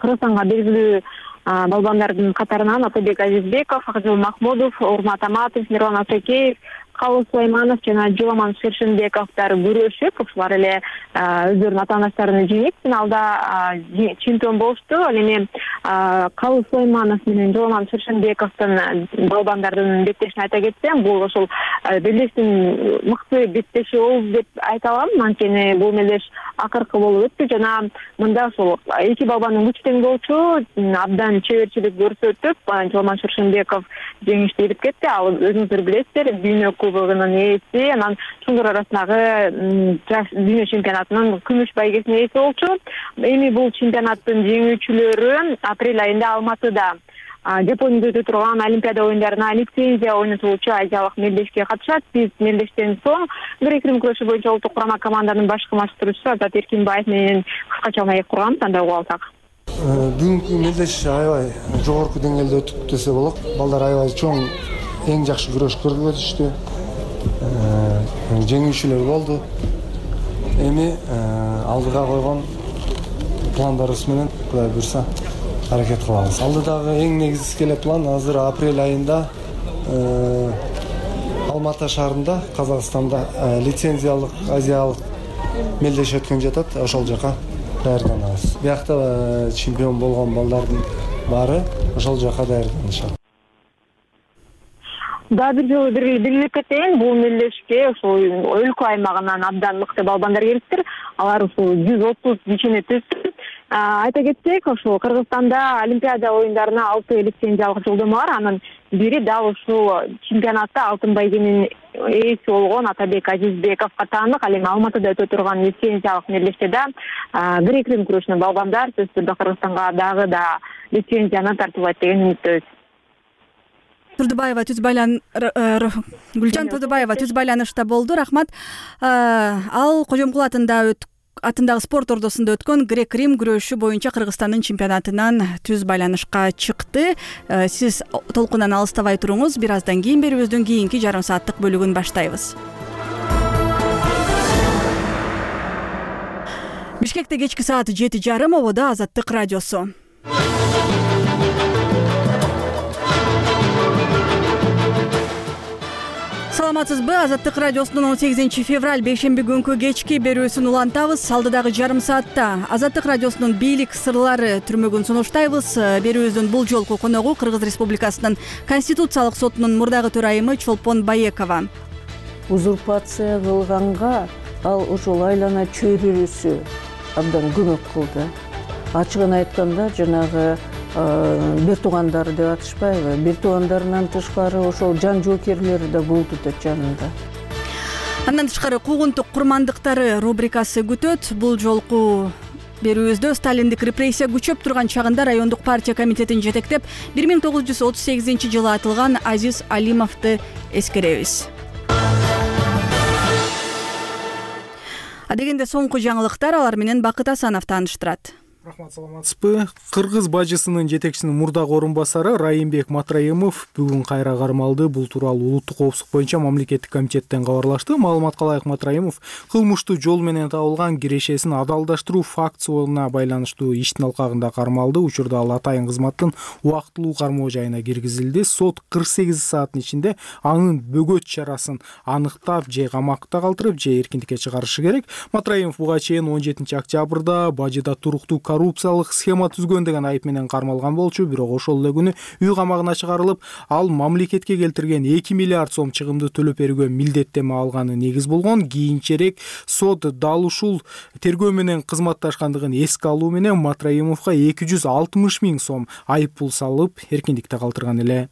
Speaker 30: Кыргызстанга белгилүү балбандардын катарынан Атабек Азизбеков, Акжол Махмудов, Урмат Аматов, Мирлан Асакеев, Калыс Сулайманов жана Жоламан Шершенбековдор күрөшүп, ушулар эле өздөрүнүн атаандаштарын жеңип, финалда чемпион болушту. Ал эми Калыс Сулайманов менен Жоламан Шершенбековдун балбандардын беттешин айта кетсем, бул ошол мелештин мыкты беттеши болду деп айта алам. Анткени бул мелеш акыркы болуп өттү жана мында ошол эки балбандын күчү тең болчу, абдан чеберчилик көрсөтүп, Жоламан Шершенбеков жеңишти илип кетти. Ал өзүңүздөр билесиздер, дүйнө кубогунун ээси, анан чоңдор арасындагы дүйнө чемпионатынын күмүш байгесинин ээси болчу. Эми бул чемпионаттын жеңүүчүлөрү апрель айында Алматыда Жапонияда өтө турган Олимпиада оюндарына лицензия ойнотуучу азиялык мелдешке катышат. Биз мелдештен соң грек-рим күрөшү боюнча улуттук курама команданын башкы маштыруучусу Азат Эркинбаев менен кыскача маек курган тандап алсак.
Speaker 5: Бүгүнкү мелдеш аябай жогорку деңгээлде өтүп десе болот. Балдар аябай чоң, эң жакшы күрөш көрсөтүштү. Жеңүүчүлөр болду. Эми алдыга койгон пландарыбыз менен Кудай буйрса аракет кылабыз. Алдыдагы эң негизги эле план азыр апрель айында Алматы шаарында, Казакстанда лицензиялык азиялык мелдеш өткөн жатат. Ошол жака даярданабыз. Биякта чемпион болгон балдардын баары ошол жака даярданышат.
Speaker 30: Да, бир жолу бир билип кетейин, бул мелдешке ошол өлкө аймагынан абдан мыкты балбандар келиптир. Алар ушул жүз отуз кишини түзүп, айта кетсек, ушул Кыргызстанда Олимпиада оюндарына алты лицензиялык жолдомо бар. Анын бири дал ушул чемпионатта алтын байгенин ээси болгон Атабек Азизбековго таандык. Ал эми Алматыда өтө турган лицензиялык мелдештеде грек-рим күрөшүнөн балбандар сөзсүз түрдө Кыргызстанга дагы да лицензияны тартуулайт деген үмүттөбүз.
Speaker 1: Турдубаева түз байлан Гүлжан Турдубаева түз байланышта болду. Рахмат. Ал Кожомкул атында атындагы спорт ордосунда өткөн грек-рим күрөшү боюнча Кыргызстандын чемпионатынан түз байланышка чыкты. Сиз толкундан алыстабай туруңуз. Бир аздан кийин берүүбүздүн кийинки жарым сааттык бөлүгүн баштайбыз. Бишкекте кечки саат жети жарым, ободо Азаттык радиосу. Саламатсызбы? Азаттык радиосунун он сегизинчи февраль бейшемби күнкү кечки берүүсүн улантабыз. Алдыдагы жарым саатта Азаттык радиосунун бийлик сырлары түрмөгүн сунуштайбыз. Берүүбүздүн бул жолку коногу Кыргыз Республикасынын Конституциялык сотунун мурдагы төрайымы Чолпон Баекова.
Speaker 2: Узурпация кылганга ал ошол айлана чөйрөсү абдан көмөк кылды. Ачыгын айтканда жанагы бир туугандары деп атышпайбы, бир туугандарынан тышкары ошол жан жоокерлери да болду да жанында.
Speaker 1: Андан тышкары куугунтук курмандыктары рубрикасы күтөт. Бул жолку берүүбүздө сталиндик репрессия күчөп турган чагында райондук партия комитетин жетектеп бир миң тогуз жүз отуз сегизинчи жылы атылган Азиз Алимовду эскеребиз. Адегенде соңку жаңылыктар, алар менен Бакыт Асанов тааныштырат.
Speaker 4: Рахмат, саламатсызбы? Кыргыз бажысынын жетекчисинин мурдагы орун басары Райымбек Матраимов бүгүн кайра кармалды. Бул тууралуу улуттук коопсуздук боюнча мамлекеттик комитеттен кабарлашты. Маалыматка ылайык Матраимов кылмыштуу жол менен табылган кирешесин адалдаштыруу фактысына байланыштуу иштин алкагында кармалды. Учурда ал атайын кызматтын убактылуу кармоо жайына киргизилди. Сот кырк сегиз сааттын ичинде анын бөгөт чарасын аныктап, же камакта калтырып, же эркиндикке чыгарышы керек. Матраимов буга чейин он жетинчи октябрда бажыда туруктуу коррупциялык схема түзгөн деген айып менен кармалган болчу, бирок ошол эле күнү үй камагына чыгарылып, ал мамлекетке келтирген эки миллиард сом чыгымды төлөп берүүгө милдеттеме алганы негиз болгон. Кийинчерээк сот дал ушул тергөө менен кызматташкандыгын эске алуу менен Матраимовго эки жүз алтымыш миң сом айып пул салып, эркиндикте калтырган эле.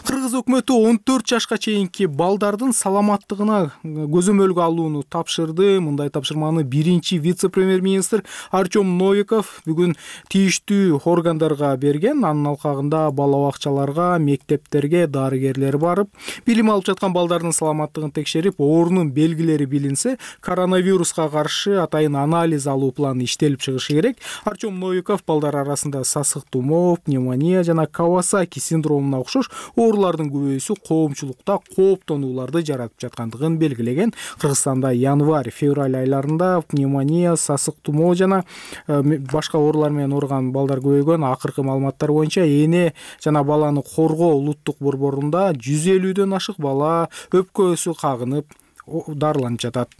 Speaker 4: Кыргыз өкмөтү он төрт жашка чейинки балдардын саламаттыгына көзөмөлгө алууну тапшырды. Мындай тапшырманы биринчи вице-премьер-министр Артем Новиков бүгүн тийиштүү органдарга берген. Анын алкагында бала бакчаларга, мектептерге дарыгерлер барып, билим алып жаткан балдардын саламаттыгын текшерип, оорунун белгилери билинсе, коронавируска каршы атайын анализ алуу планы иштелип чыгышы керек. Артем Новиков балдар арасында сасык тумоо, пневмония жана Кавасаки синдромуна окшош оорулардын көбөйүүсү коомчулукта кооптонууларды жаратып жаткандыгын белгилеген. Кыргызстанда январь-февраль айларында пневмония, сасык тумоо жана башка оорулар менен ооруган балдар көбөйгөн. Акыркы маалыматтар боюнча эне жана баланы коргоо улуттук борборунда жүз элүүдөн ашык бала өпкөсү кагынып дарыланып жатат.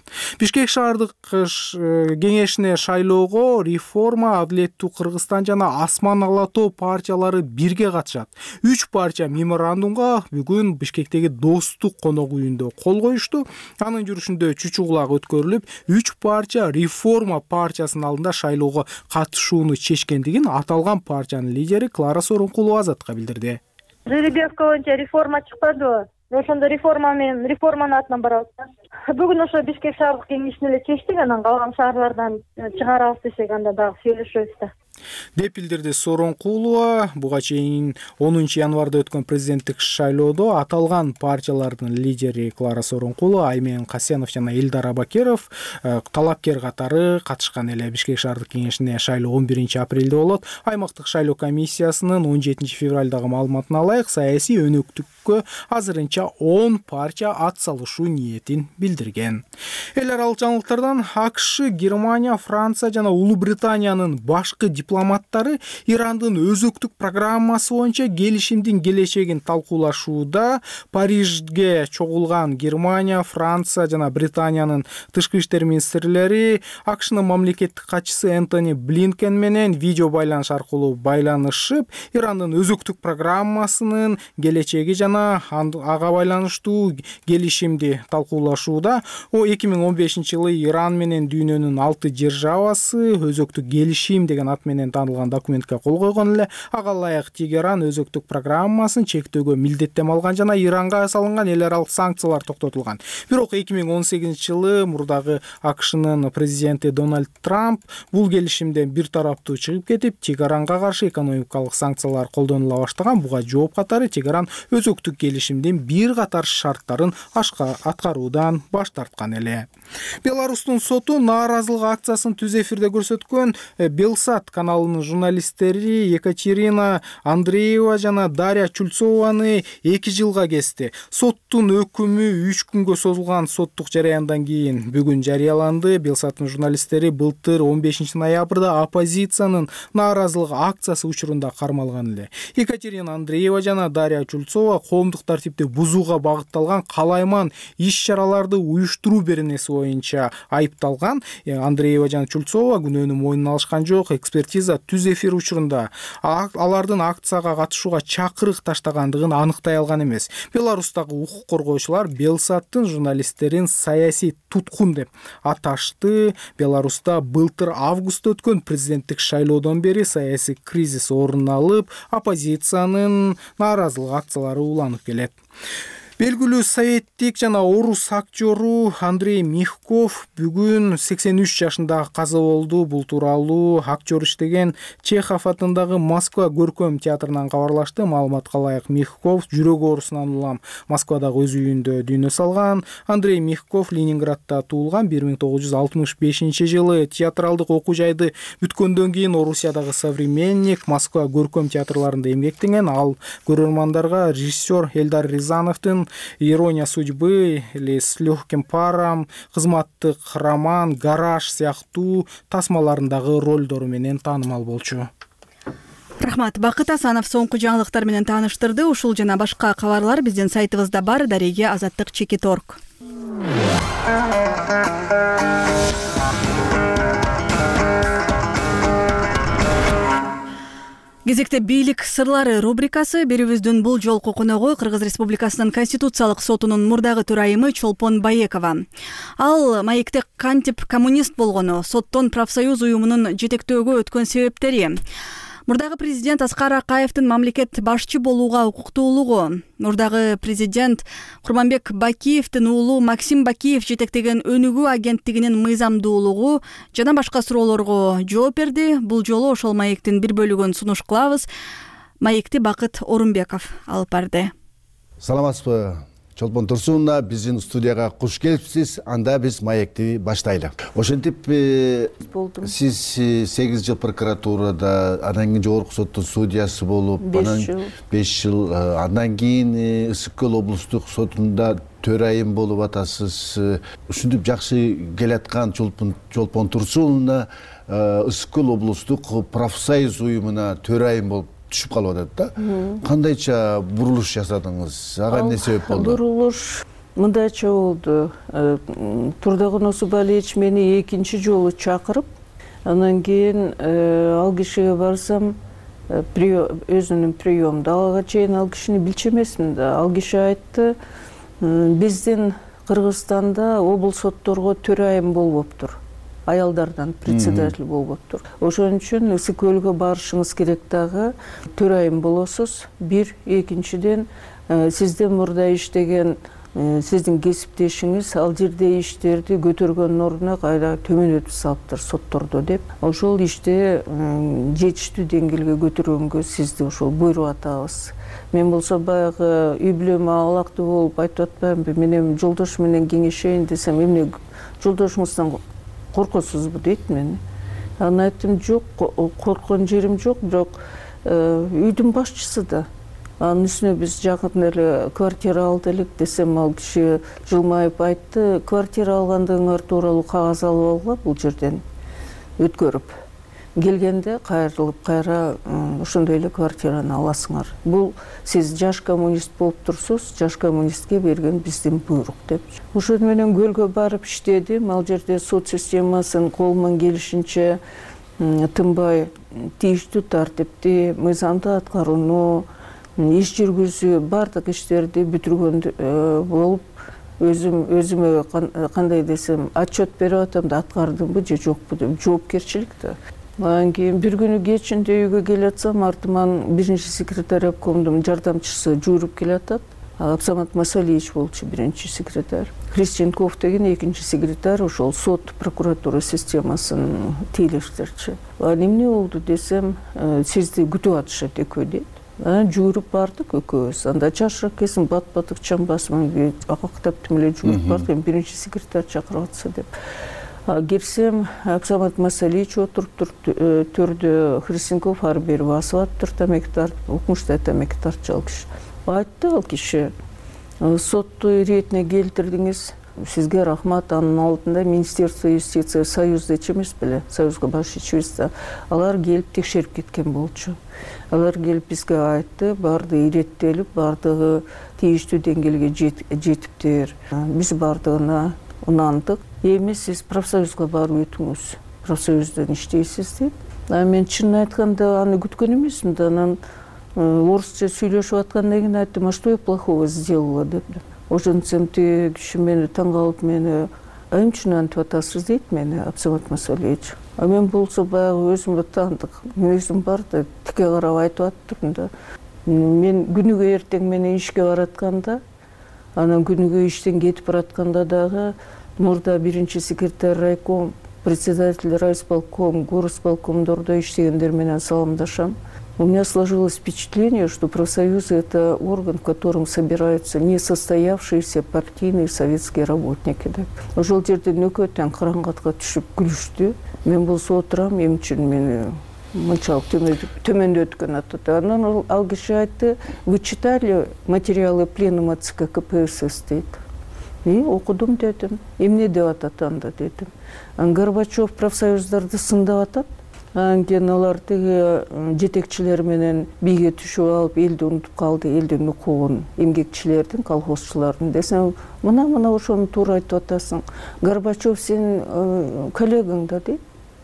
Speaker 4: Бишкек шаардык кеңешине шайлоого Реформа, Адилеттүү Кыргызстан жана Асман ала тоо партиялары бирге катышат. Үч партия меморандумга бүгүн Бишкектеги Достук конок үйүндө кол коюшту. Анын жүрүшүндө чучугулак өткөрүлүп, үч партия Реформа партиясынын алдында шайлоого катышууну чечкендигин аталган партиянын лидери Клара Сооронкулова Азатка билдирди.
Speaker 3: Жеребьевка боюнча реформа чыкпадыбы? Ошондо реформа менен реформанын атынан барабыз. Бүгүн ошо Бишкек шаардык кеңешине эле чечтик, анан калган шаарлардан чыгарабыз десек, анда дагы сүйлөшөбүз да.
Speaker 4: деп билдирди Сооронкулова. Буга чейин онунчу январда өткөн президенттик шайлоодо аталган партиялардын лидери Клара Сооронкулова, Аймен Касенов жана Элдар Абакеров талапкер катары катышкан эле. Бишкек шаардык кеңешине шайлоо он биринчи апрелде болот. Аймактык шайлоо комиссиясынын он жетинчи февралдагы маалыматына ылайык, саясий өнөктүккө азырынча он партия ат салышуу ниетин билдирген. Эл аралык жаңылыктардан АКШ, Германия, Франция жана Улуу Британиянын башкы дипломаттары Ирандын өзөктүк программасы боюнча келишимдин келечегин талкуулашууда. Парижге чогулган Германия, Франция жана Британиянын тышкы иштер министрлери АКШнын мамлекеттик катчысы Энтони Блинкен менен видео байланыш аркылуу байланышып, Ирандын өзөктүк программасынын келечеги жана ага байланыштуу келишимди талкуулашууда. О эки миң он бешинчи жылы Иран менен дүйнөнүн алты державасы өзөктүк келишим деген ат менен менен таанылган документке кол койгон эле. Ага ылайык Тегеран өзөктүк программасын чектөөгө милдеттенме алган жана Иранга салынган эл аралык санкциялар токтотулган. Бирок эки миң он сегизинчи жылы мурдагы АКШнын президенти Дональд Трамп бул келишимден бир тараптуу чыгып кетип, Тегеранга каршы экономикалык санкциялар колдонула баштаган. Буга жооп катары Тегеран өзөктүк келишимдин бир катар шарттарын аткаруудан баш тарткан эле. Беларустун соту нааразылык акциясын түз эфирде көрсөткөн Белсат каналынын журналисттери Екатерина Андреева жана Дарья Чульцованы эки жылга кести. Соттун өкүмү үч күнгө созулган соттук жараяндан кийин бүгүн жарыяланды. Белсаттын журналисттери былтыр он бешинчи ноябрда оппозициянын нааразылык акциясы учурунда кармалган эле. Екатерина Андреева жана Дарья Чульцова коомдук тартипти бузууга багытталган калайман иш-чараларды уюштуруу беренеси боюнча айыпталган. Андреева жана Чульцова күнөөнү мойнуна алышкан жок. Экспертиза түз эфир учурунда алардын акцияга катышууга чакырык таштагандыгын аныктай алган эмес. Беларустагы укук коргоочулар Белсаттын журналисттерин саясий туткун деп аташты. Беларуста былтыр августта өткөн президенттик шайлоодон бери саясий кризис орун алып, оппозициянын нааразылык акциялары уланып келет. Белгилүү советтик жана орус актёру Андрей Мягков бүгүн сексен үч жашында каза болду. Бул тууралуу актер иштеген Чехов атындагы Москва көркөм театрынан кабарлашты. Маалыматка ылайык, Мягков жүрөк оорусунан улам Москвадагы өз үйүндө дүйнө салган. Андрей Мягков Ленинградда туулган. бир миң тогуз жүз алтымыш бешинчи жылы театралдык окуу жайды бүткөндөн кийин Орусиядагы Современник, Москва көркөм театрларында эмгектенген. Ал көрөрмандарга режиссер Эльдар Рязановдун «Ирония судьбы» или «С легким паром», кызматтык роман, «Гараж» сыяктуу тасмаларындагы ролдору менен таанымал болчу.
Speaker 1: Рахмат. Бакыт Асанов соңку жаңылыктар менен тааныштырды. Ушул жана башка кабарлар биздин сайтыбызда бар. Дареге азаттык чекит точка орг. Кезекте бийлик сырлары рубрикасы. Берүүбүздүн бул жолку коногу Кыргыз Республикасынын Конституциялык сотунун мурдагы төрайымы Чолпон Баекова. Ал маекте кантип коммунист болгону, соттон профсоюз уюмунун жетектөөгө өткөн себептери, мурдагы президент Аскар Акаевдин мамлекет башчы болууга укуктуулугу, мурдагы президент Курманбек Бакиевдин уулу Максим Бакиев жетектеген өнүгүү агенттигинин мыйзамдуулугу жана башка суроолорго жооп берди. Бул жолу ошол маектин бир бөлүгүн сунуш кылабыз. Маекти Бакыт Орунбеков алып барды.
Speaker 6: Саламатсызбы? Чолпон Турсуновна, биздин студияга куш келипсиз. Анда биз маекти баштайлы. Ошентип сиз сегиз жыл прокуратурада, андан кийин жогорку соттун судьясы болуп, анан беш жыл, андан кийин Ысык Көл облустук сотунда төрайым болуп атасыз. Ушинтип жакшы келаткан Чолпон Турсуновна Ысык Көл облустук профсоюз уюмуна төрайым болуп түшүп калып атат да. Кандайча бурулуш жасадыңыз? Ага эмне себеп болду?
Speaker 2: Бурулуш мындайча болду. Турдагун Осубалиевич мени экинчи жолу чакырып, анан кийин ал кишиге барсам, өзүнүн приёмунда ага чейин ал кишини билчү эмесмин да. Ал киши айтты, биздин Кыргызстанда облус сотторго төрайым болбоптур. Аялдардан председатель болбоптур. Ошон үчүн Ысык Көлгө барышыңыз керек дагы, төрайым болосуз. Бир, экинчиден сизден мурда иштеген сиздин кесиптешиңиз ал жерде иштерди көтөргөндүн ордуна кайра төмөнөтүп салыптыр соттордо деп. Ошол ишти жетиштүү деңгээлге көтөргөнгө сизди ошол буйруп атабыз. Мен болсо баягы үй бүлөмө алакты болуп айтып атпаймынбы, мен эми жолдош менен кеңешейин десем, эмне жолдошуңуздан коркосузбу дейт мени. Анан айттым, жок, корккон жерим жок, бирок үйдүн башчысы да. Анын үстүнө биз жакында эле квартира алды элек десем, ал киши жылмайып айтты, квартира алгандыгыңар тууралуу кагаз алып алгыла бул жерден өткөрүп. Келгенде кайрылып кайра ошондой эле квартираны аласыңар. Бул сиз жаш коммунист болуп турсуз, жаш коммунистке берген биздин буйрук деп. Ошол менен көлгө барып иштедим. Ал жерде сот системасын колуман келишинче тынбай тийиштүү тартипти, мыйзамды аткарууну, иш жүргүзүү, бардык иштерди бүтүргөн болуп, өзүм өзүмө кандай десем, отчет берип атам да, аткардымбы же жокпу деп жоопкерчилик да. Анан кийин бир күнү кечинде үйгө келатсам, артыман биринчи секретарь обкомдун жардамчысы жүрүп келатат. Абсамат Масалиевич болчу биринчи секретарь. Христенков деген экинчи секретарь, ошол сот прокуратура системасын тейлештерчи. Анан эмне болду десем, сизди күтүп атышат экөө дейт. Анан жүрүп бардык экөөбүз. Анда чаршак кесим бат батык чамбасымын акактап эле жүрүп бардык. Биринчи секретарь чакырып атса деп. Кирсем, Абсамат Масалиевич отуруп төрдө, Христенков ары бери басып атыптыр, тамеки тартып, укмуштай тамеки тартчу ал киши. Айтты ал киши, сотту иретине келтирдиңиз, сизге рахмат. Анын алдында Министерство юстиция Союзда эмес беле, Союзга баш ичибиз да, алар келип текшерип кеткен болчу. Алар келип бизге айтты, баардыгы иреттелип, баардыгы тийиштүү деңгээлге жетиптир. Биз баардыгына унандык. Эми сиз профсоюзга барып өтүңүз, профсоюздон иштейсиз дейт. Мен чынын айтканда аны күткөн эмесмин да, анан орусча сүйлөшүп аткандан кийин айттым, а что я плохого сделала дептим. Ошентсем тиги киши мени таң калып, мени эмне үчүн антип атасыз дейт мени Абсамат Масалиевич. А мен болсо баягы өзүмө таандык мүнөзүм бар да, тике карап айтып аттырмын да. Мен күнүгө эртең менен ишке баратканда, анан күнүгө иштен кетип баратканда дагы мурда биринчи секретарь райком, председатель райисполком, горосполкомдордо иштегендер менен саламдашам. У меня сложилось впечатление, что профсоюзы – это орган, в котором собираются несостоявшиеся партийные советские работники. Ошол жерде нөкөттөн караңгатка түшүп күлүштү. Мен болсо отурам, эмне үчүн мени мынчалык төмөндөткөн атат. Анан ал киши айтты, вы читали материалы пленума ЦК КПСС дейт. И окудум дедим. Эмне деп атат анда дедим. Горбачев профсоюздарды сындап атат. Анан кийин алар тиги жетекчилер менен бийге түшүп алып, элди унутуп калды, элдин укугун, эмгекчилердин, колхозчулардын десем, мына-мына ошону туура айтып атасың. Горбачев сенин коллегаң да дейт.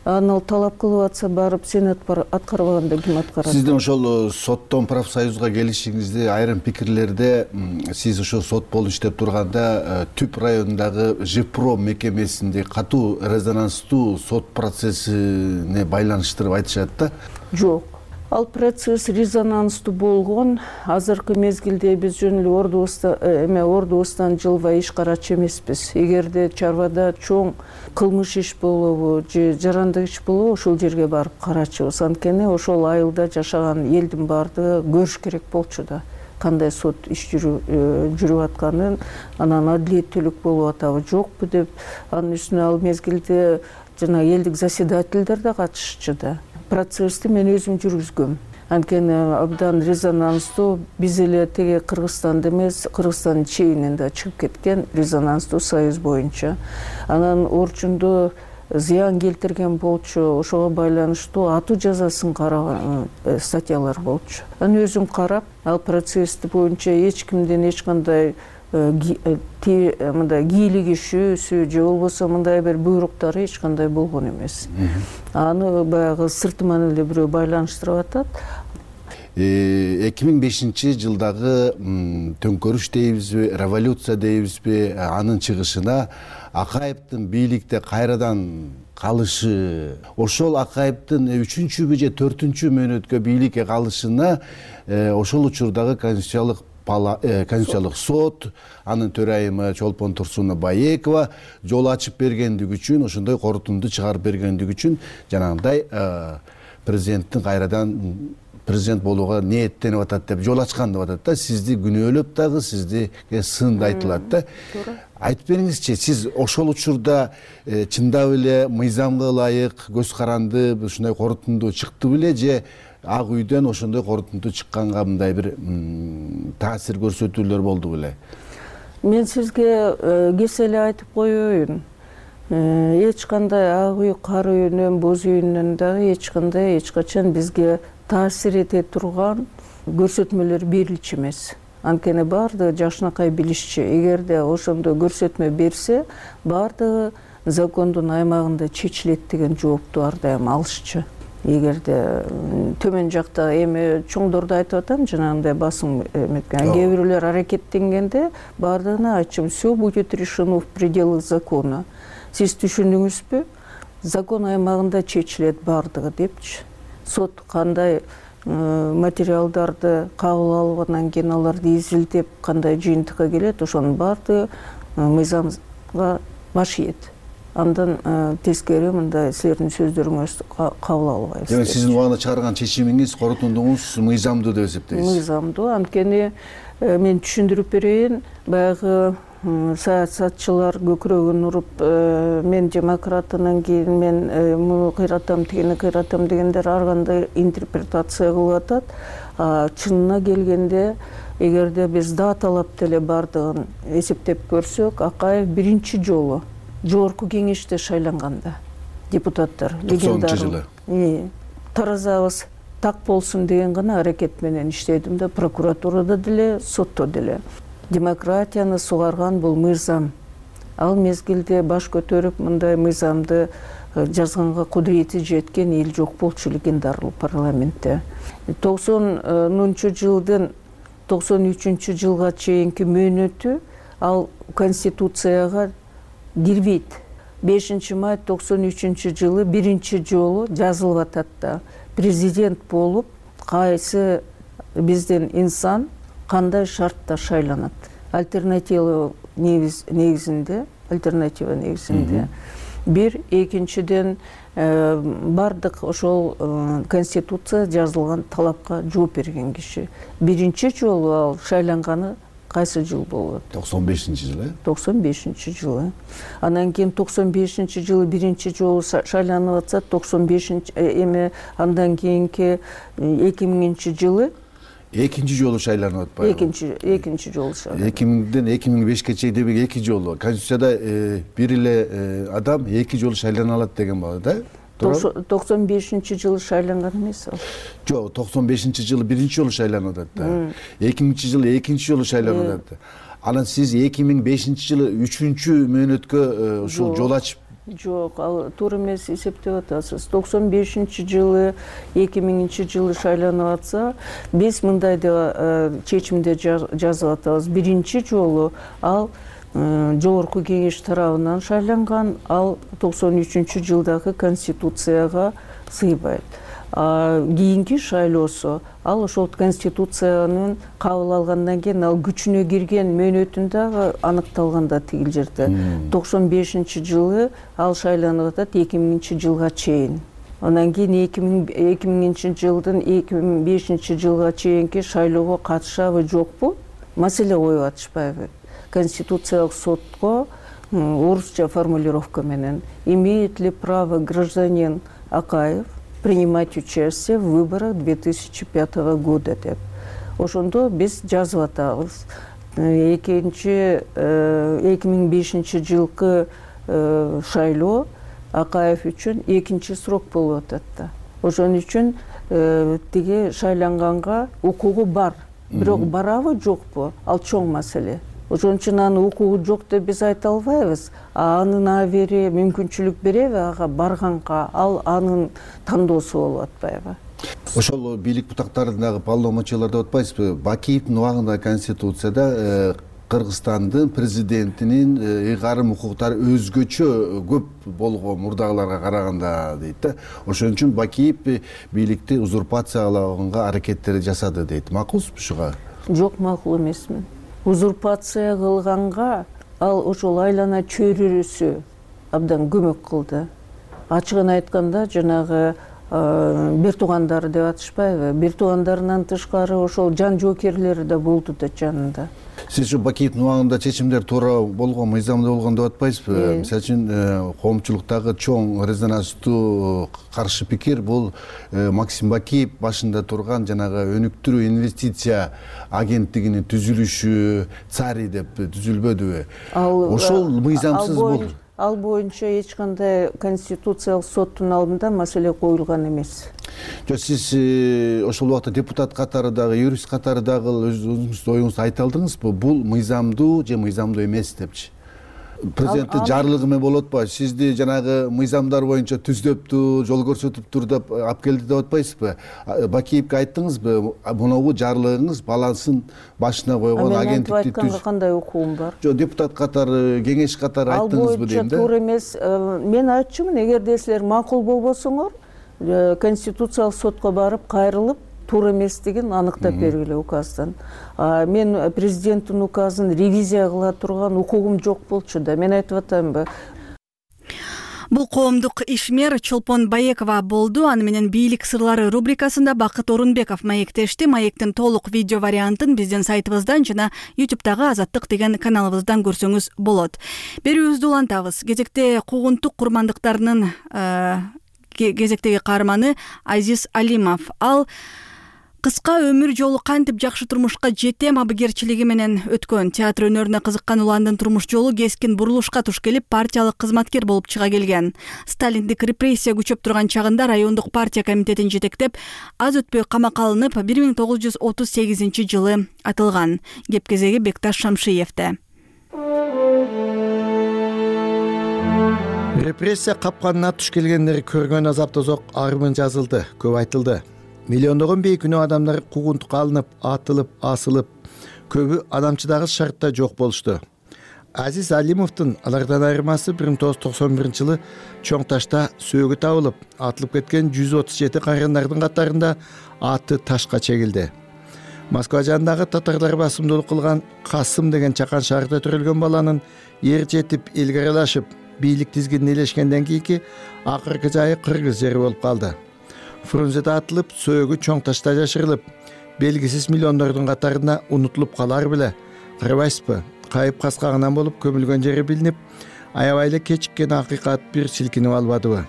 Speaker 2: Анан ал талап кылып атса, барып сен аткарбаганда ким аткарат?
Speaker 6: Сиздин ошол соттон профсоюзга келишиңизди айрым пикирлерде сиз ошо сот болуп иштеп турганда Түп районундагы ЖИПРО мекемесинде катуу резонанстуу сот процессине байланыштырып айтышат да?
Speaker 2: Жок. Ал процесс резонанстуу болгон. Азыркы мезгилде биз жөн эле ордубузда эме ордубуздан жылбай иш карачу эмеспиз. Эгерде чарбада чоң кылмыш иш болобу же жарандык иш болобу, ошол жерге барып карачубуз. Анткени ошол айылда жашаган элдин баардыгы көрүш керек болчу да, кандай сот иш жүрүп атканын, анан адилеттүүлүк болуп атабы жокпу деп. Анын үстүнө ал мезгилде жана элдик заседательдер да катышчу да. Процессти мен өзүм жүргүзгөм. Анткени абдан резонанстуу, биз эле теге Кыргызстанда эмес, Кыргызстандын чегинен да чыгып кеткен резонанстуу союз боюнча. Анан Орчунду зыян келтирген болчу, ошого байланыштуу атуу жазасын караган статьялар болчу. Анан өзүм карап, ал процессти боюнча эч кимден эч кандай мындай кийлигишүүсү же болбосо мындай бир буйруктары эч кандай болгон эмес. Аны баягы сыртыман эле бирөө байланыштырып атат.
Speaker 6: эки миң бешинчи жылдагы төңкөрүш дейбизби, революция дейбизби, анын чыгышына Акаевдин бийликте кайрадан калышы, ошол Акаевдин үчүнчүбү же төртүнчү мөөнөткө бийликке калышына ошол учурдагы конституциялык Конституциялык сот, анын төрайымы Чолпон Турсуна Баекова жол ачып бергендиги үчүн, ошондой корутунду чыгарып бергендиги үчүн жанагындай президенттин кайрадан президент болууга ниеттенип атат деп жол ачкан деп атат да. Сизди күнөөлөп дагы, сиздиге сын да айтылат да. Айтып бериңизчи, сиз ошол учурда чындап эле мыйзамга ылайык, көз каранды ушундай корутунду чыкты беле же Ак үйдөн ошондой корутунду чыкканга мындай бир таасир көрсөтүүлөр болду беле?
Speaker 2: Мен сизге кесе эле айтып коеюн. Эч кандай Ак үй, Кара үйүнөн, Боз үйүнөн дагы эч кандай эч качан бизге таасир эте турган көрсөтмөлөр берилчү эмес. Анткени баардыгы жакшынакай билишчү. Эгерде ошондой көрсөтмө берсе, баардыгы закондун аймагында чечилет деген жоопту ар дайым алышчу. Эгерде төмөн жакта эми чоңдорду айтып атам, жанагындай басым эметкен, кээ бирөөлөр аракеттенгенде баардыгына айтчумун, все будет решено в пределах закона. Сиз түшүндүңүзбү? закон аймагында чечилет баардыгы депчи. Сот кандай материалдарды кабыл алып анан кийин аларды изилдеп кандай жыйынтыкка келет, ошонун баардыгы мыйзамга баш ийет. Андан тескери мындай силердин сөздөрүңүз кабыл албайбыз.
Speaker 6: Демек сиздин убагында чыгарган чечимиңиз, корутундуңуз мыйзамдуу деп эсептейсиз?
Speaker 2: Мыйзамдуу, анткени мен түшүндүрүп берейин, баягы саясатчылар көкүрөгүн уруп мен демократ, анан кийин мен муну кыйратам, тигини кыйратам дегендер ар кандай интерпретация кылып атат. Чынына келгенде, эгерде биз даталап деле баардыгын эсептеп көрсөк, Акаев биринчи жолу жогорку кеңеште шайланганда депутаттар
Speaker 6: токсонунчу жылы
Speaker 2: таразабыз так болсун деген гана аракет менен иштедим да, прокуратурада деле, сотто деле. Демократияны сугарган бул мыйзам. Ал мезгилде баш көтөрүп мындай мыйзамды жазганга кудурети жеткен эл жок болчу легендар парламентте. токсонунчу жылдын токсон үчүнчү жылга чейинки мөөнөтү ал конституцияга кирбейт. бешинчи май токсон үчүнчү жылы биринчи жолу жазылып атат да. Президент болуп кайсы биздин инсан кандай шартта шайланат. Альтернатива негизинде, альтернатива негизинде. Бир, экинчиден бардык ошол конституция жазылган талапка жооп берген киши. Биринчи жолу ал шайланганы кайсы жыл болот?
Speaker 6: токсон бешинчи жылы.
Speaker 2: токсон бешинчи жылы. Анан кийин токсон бешинчи жылы биринчи жолу шайланып атса, токсон бешинчи эме андан кийинки эки миңинчи жылы
Speaker 6: экинчи жолу шайланып атпайбы?
Speaker 2: Экинчи экинчи жолу шайланып.
Speaker 6: эки миңден эки миң бешке чейин демек эки жолу. Конституцияда бир эле адам эки жолу шайлана алат деген бар да?
Speaker 2: токсон бешинчи жылы шайланган эмес ал.
Speaker 6: Жок, токсон бешинчи жылы биринчи жолу шайланып атат да. эки миңинчи жылы экинчи жолу шайланып атат. Анан сиз эки миң бешинчи жылы үчүнчү мөөнөткө ушул жол ачып?
Speaker 2: Жок, ал туура эмес эсептеп атасыз. токсон бешинчи жылы эки миңинчи жылы шайланып атса, биз мындай деп чечимде жазып атабыз. Биринчи жолу ал жогорку кеңеш тарабынан шайланган, ал токсон үчүнчү жылдагы конституцияга сыйбайт. Кийинки шайлоосу ал ошол конституциянын кабыл алгандан кийин ал күчүнө кирген мөөнөтүндө аныкталганда тигил жерде токсон бешинчи жылы ал шайланып атат эки миңинчи жылга чейин. Андан кийин эки миңинчи жылдын эки миң бешинчи жылга чейинки шайлоого катышабы жокпу? Маселе коюп атышпайбы? Конституциялык сотко орусча формулировка менен имеет ли право гражданин Акаев принимать участие в выборах две тысячи пятого года деп. Ошондо биз жазып атабыз. Экинчи эки миң бешинчи жылкы шайлоо Акаев үчүн экинчи срок болуп атат да. Ошон үчүн тиги шайланганга укугу бар. Бирок барабы жокпу? Ал чоң маселе. Ошон үчүн анын укугу жок деп биз айта албайбыз. Анын абери мүмкүнчүлүк береби ага барганга, ал анын тандоосу болуп атпайбы?
Speaker 6: Ошол бийлик бутактарындагы полномочиялар деп атпайсызбы? Бакиевдин убагында Конституцияда Кыргызстандын президентинин ыйгарым укуктары өзгөчө көп болгон мурдагыларга караганда дейт да. Ошон үчүн Бакиев бийликти узурпациялаганга аракеттер жасады дейт. Макулсузбу ушуга?
Speaker 2: Жок, макул эмесмин. Узурпация кылганга ал ошол айлана чөйрөсү абдан көмөк кылды. Ачыгын айтканда, жанагы бир туугандары деп атышпайбы? Бир туугандарынан тышкары ошол жан жоокерлери да болду да жанында.
Speaker 6: Сиз ушу Бакиевдин убагында чечимдер туура болгон, мыйзамдуу болгон деп атпайсызбы? Мисалы үчүн коомчулуктагы чоң резонанстуу каршы пикир бул Максим Бакиев башында турган жанагы өнүктүрүү инвестиция агенттигинин түзүлүшү цари деп түзүлбөдүбү? Ошол мыйзамсыз болду.
Speaker 2: Ал боюнча эч кандай конституциялык соттун алдында маселе коюлган эмес.
Speaker 6: Жок, сиз ошол убакта депутат катары дагы, юрист катары дагы өзүңүздүн оюңузду айта алдыңызбы? Бул мыйзамдуу же мыйзамдуу эмес депчи? президенттин жарлыгы менен болуп атпайбы? Сизди жанагы мыйзамдар боюнча түздөптү, жол көрсөтүптүр деп алып келди деп атпайсызбы? Бакиевке айттыңызбы, мунабу жарлыгыңыз балансын башына койгон агенттикти түз.
Speaker 2: Айтканга кандай укугум бар?
Speaker 6: Жок, депутат катары, кеңеш катары айттыңызбы дейм да.
Speaker 2: Ал боюнча туура эмес. Мен айтчумун, эгерде силер макул болбосоңор, конституциялык сотко барып кайрылып, туура эместигин аныктап бергиле указдан. Мен президенттин указын ревизия кыла турган укугум жок болчу да. Мен айтып атамбы.
Speaker 1: Бул коомдук ишмер Чолпон Баекова болду. Аны менен бийлик сырлары рубрикасында Бакыт Орунбеков маектешти. Маектин толук видео вариантын биздин сайтыбыздан жана ютубтагы Азаттык деген каналыбыздан көрсөңүз болот. Берүүбүздү улантабыз. Кезекте куугунтук курмандыктарынын кезектеги каарманы Азиз Алимов. Ал кыска өмүр жолу кантип жакшы турмушка жетем абыгерчилиги менен өткөн. Театр өнөрүнө кызыккан уландын турмуш жолу кескин бурулушка туш келип, партиялык кызматкер болуп чыга келген. Сталиндик репрессия күчөп турган чагында райондук партия комитетин жетектеп, аз өтпөй камакка алынып, бир миң тогуз жүз отуз сегизинчи жылы атылган. Кеп кезеги Бекташ Шамшиевде.
Speaker 7: Репрессия капканына туш келгендер көргөн азап тозок армын жазылды, көп айтылды. Миллиондогон бейкүнөө адамдар куугунтукка алынып, атылып, асылып, көбү адамчыдагы шартта жок болушту. Азиз Алимовдун алардан айырмасы бир миң тогуз жүз токсон биринчи жылы Чоң Ташта сөөгү табылып, атылып кеткен жүз отуз жети кайрандардын катарында аты ташка чегилди. Москва жанындагы татарлар басымдуулук кылган Касым деген чакан шаарда төрөлгөн баланын эр жетип, элге аралашып, бийлик тизгинин ээлешкенден кийинки акыркы жайы Кыргыз жери болуп калды. Фрунзеде атылып, сөөгү Чоң Ташта жашырылып, белгисиз миллиондордун катарына унутулуп калар беле. Карабайсызбы? Кайып каскагынан болуп көмүлгөн жери билинип, аябай эле кечиккен акыйкат бир силкинип албадыбы?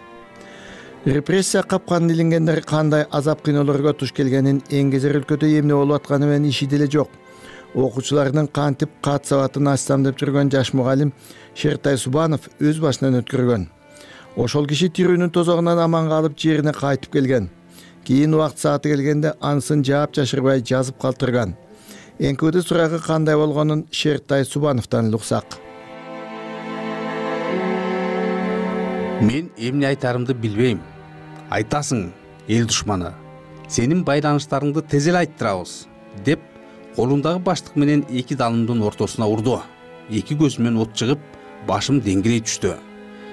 Speaker 7: Репрессия капканын илингендер кандай азап кыйноолорго туш келгенин эң кезер өлкөдө эмне болуп атканы менен иши деле жок. Окуучулардын кантип кат сабатын ачсам деп жүргөн жаш мугалим Шертай Субанов өз башынан өткөргөн. Ошол киши тирүүнүн тозогунан аман калып жерине кайтып келген. Кийин убакыт сааты келгенде анысын жаап жашырбай жазып калтырган. Эңкөөдө сурагы кандай болгонун Шертай Субановдон уксак.
Speaker 8: Мен эмне айтарымды билбейм. Айтасың, эл душманы. Сенин байланыштарыңды тез эле айттырабыз, деп колундагы баштык менен эки далымдын ортосуна урду. Эки көзүмөн от чыгып, башым деңгирей түштү.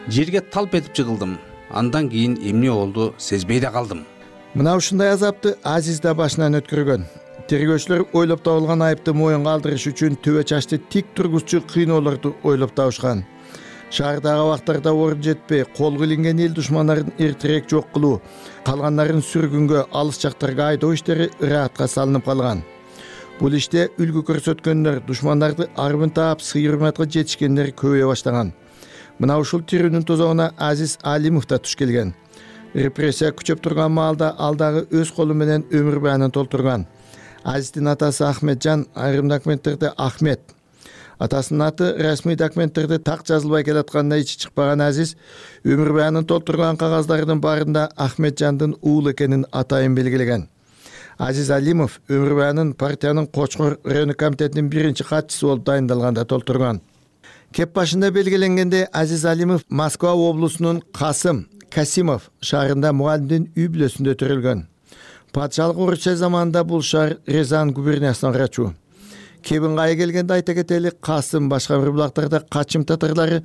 Speaker 8: Жерге талп этип жыгылдым. Андан кийин эмне болду сезбей да калдым.
Speaker 7: Мына ушундай азапты Азиз да башынан өткөргөн. Тергөөчүлөр ойлоп табылган айыпты моюнга алдырыш үчүн төбө чачты тик тургузчу кыйноолорду ойлоп табышкан. Шаардагы абактарда орун жетпей, колго илинген эл душмандарын эртерээк жок кылуу, калгандарын сүргүнгө, алыс жактарга айдоо иштери ыраатка салынып калган. Бул иште үлгү көрсөткөндөр, душмандарды арбын таап, сый-урматка жетишкендер көбөйө баштаган. Мына ушул тирүүнүн тозогуна Азиз Алимов да туш келген. Репрессия күчөп турган маалда ал дагы өз колу менен өмүр баянын толтурган. Азиздин атасы Ахметжан айрым документтерде Ахмет. Атасынын аты расмий документтерде так жазылбай келатканда ичи чыкпаган Азиз өмүр баянын толтурган кагаздардын баарында Ахметжандын уулу экенин атайын белгилеген. Азиз Алимов өмүр баянын партиянын Кочкор райондук комитетинин биринчи катчысы болуп дайындалганда толтурган. Кеп башында белгиленгенде Азиз Алимов Москва облусунун Касым Касимов шаарында мугалимдин үй бүлөсүндө төрөлгөн. Патшалык Орусия заманында бул шаар Рязань губерниясына карачу. Кебингайы келгенде айта кетели, Касым башка бир булактарда качым татарлары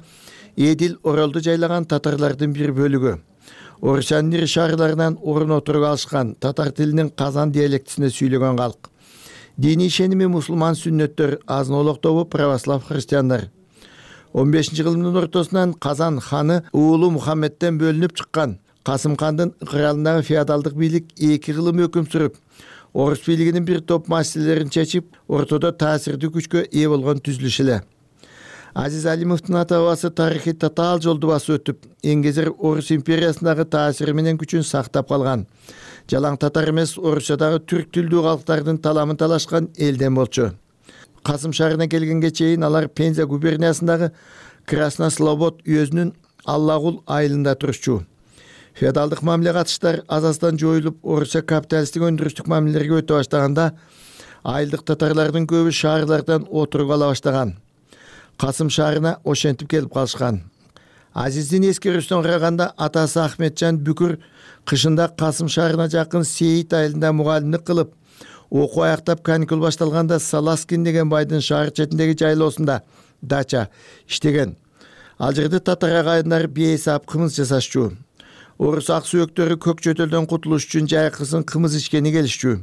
Speaker 7: Эдил Оролду жайлаган татарлардын бир бөлүгү. Орусиянын ири шаарларынан орун отуруп алышкан, татар тилинин Казан диалектисинде сүйлөгөн калк. Диний ишеними мусулман сүннөттөр, азын-олок тобу православ христиандар. он бешинчи кылымдын ортосунан Казан ханы уулу Мухаммедтен бөлүнүп чыккан. Касым хандын ыкыралындагы феодалдык бийлик эки кылым өкүм сүрүп, орус бийлигинин бир топ маселелерин чечип, ортодо таасирдүү күчкө ээ болгон түзүлүш эле. Азиз Алимовдун ата бабасы тарыхый татаал жолду басып өтүп, эң кезер Орус империясындагы таасири менен күчүн сактап калган. Жалаң татар эмес, Орусиядагы түрк тилдүү калктардын таламын талашкан элден болчу. Касым шаарына келгенге чейин алар Пенза губерниясындагы Краснослобод уездинин Аллагул айылында турушчу. Феодалдык мамиле катыштар азастан жоюлуп, Орусия капиталисттик өндүрүштүк мамилелерге өтө баштаганда, айылдык татарлардын көбү шаарлардан отуруп ала баштаган. Касым шаарына ошентип келип калышкан. Азиздин эскерүүсүнө караганда атасы Ахметжан Бүкүр кышында Касым шаарына жакын Сейит айылында мугалимдик кылып, окуу аяктап каникул башталганда Саласкин деген байдын шаар четиндеги жайлоосунда дача иштеген. Ал жерде татар агайындары бейсап кымыз жасашчу. Орус ак сүйөктөрү көк чөтөлдөн кутулуш үчүн жайкысын кымыз ичкени келишчү.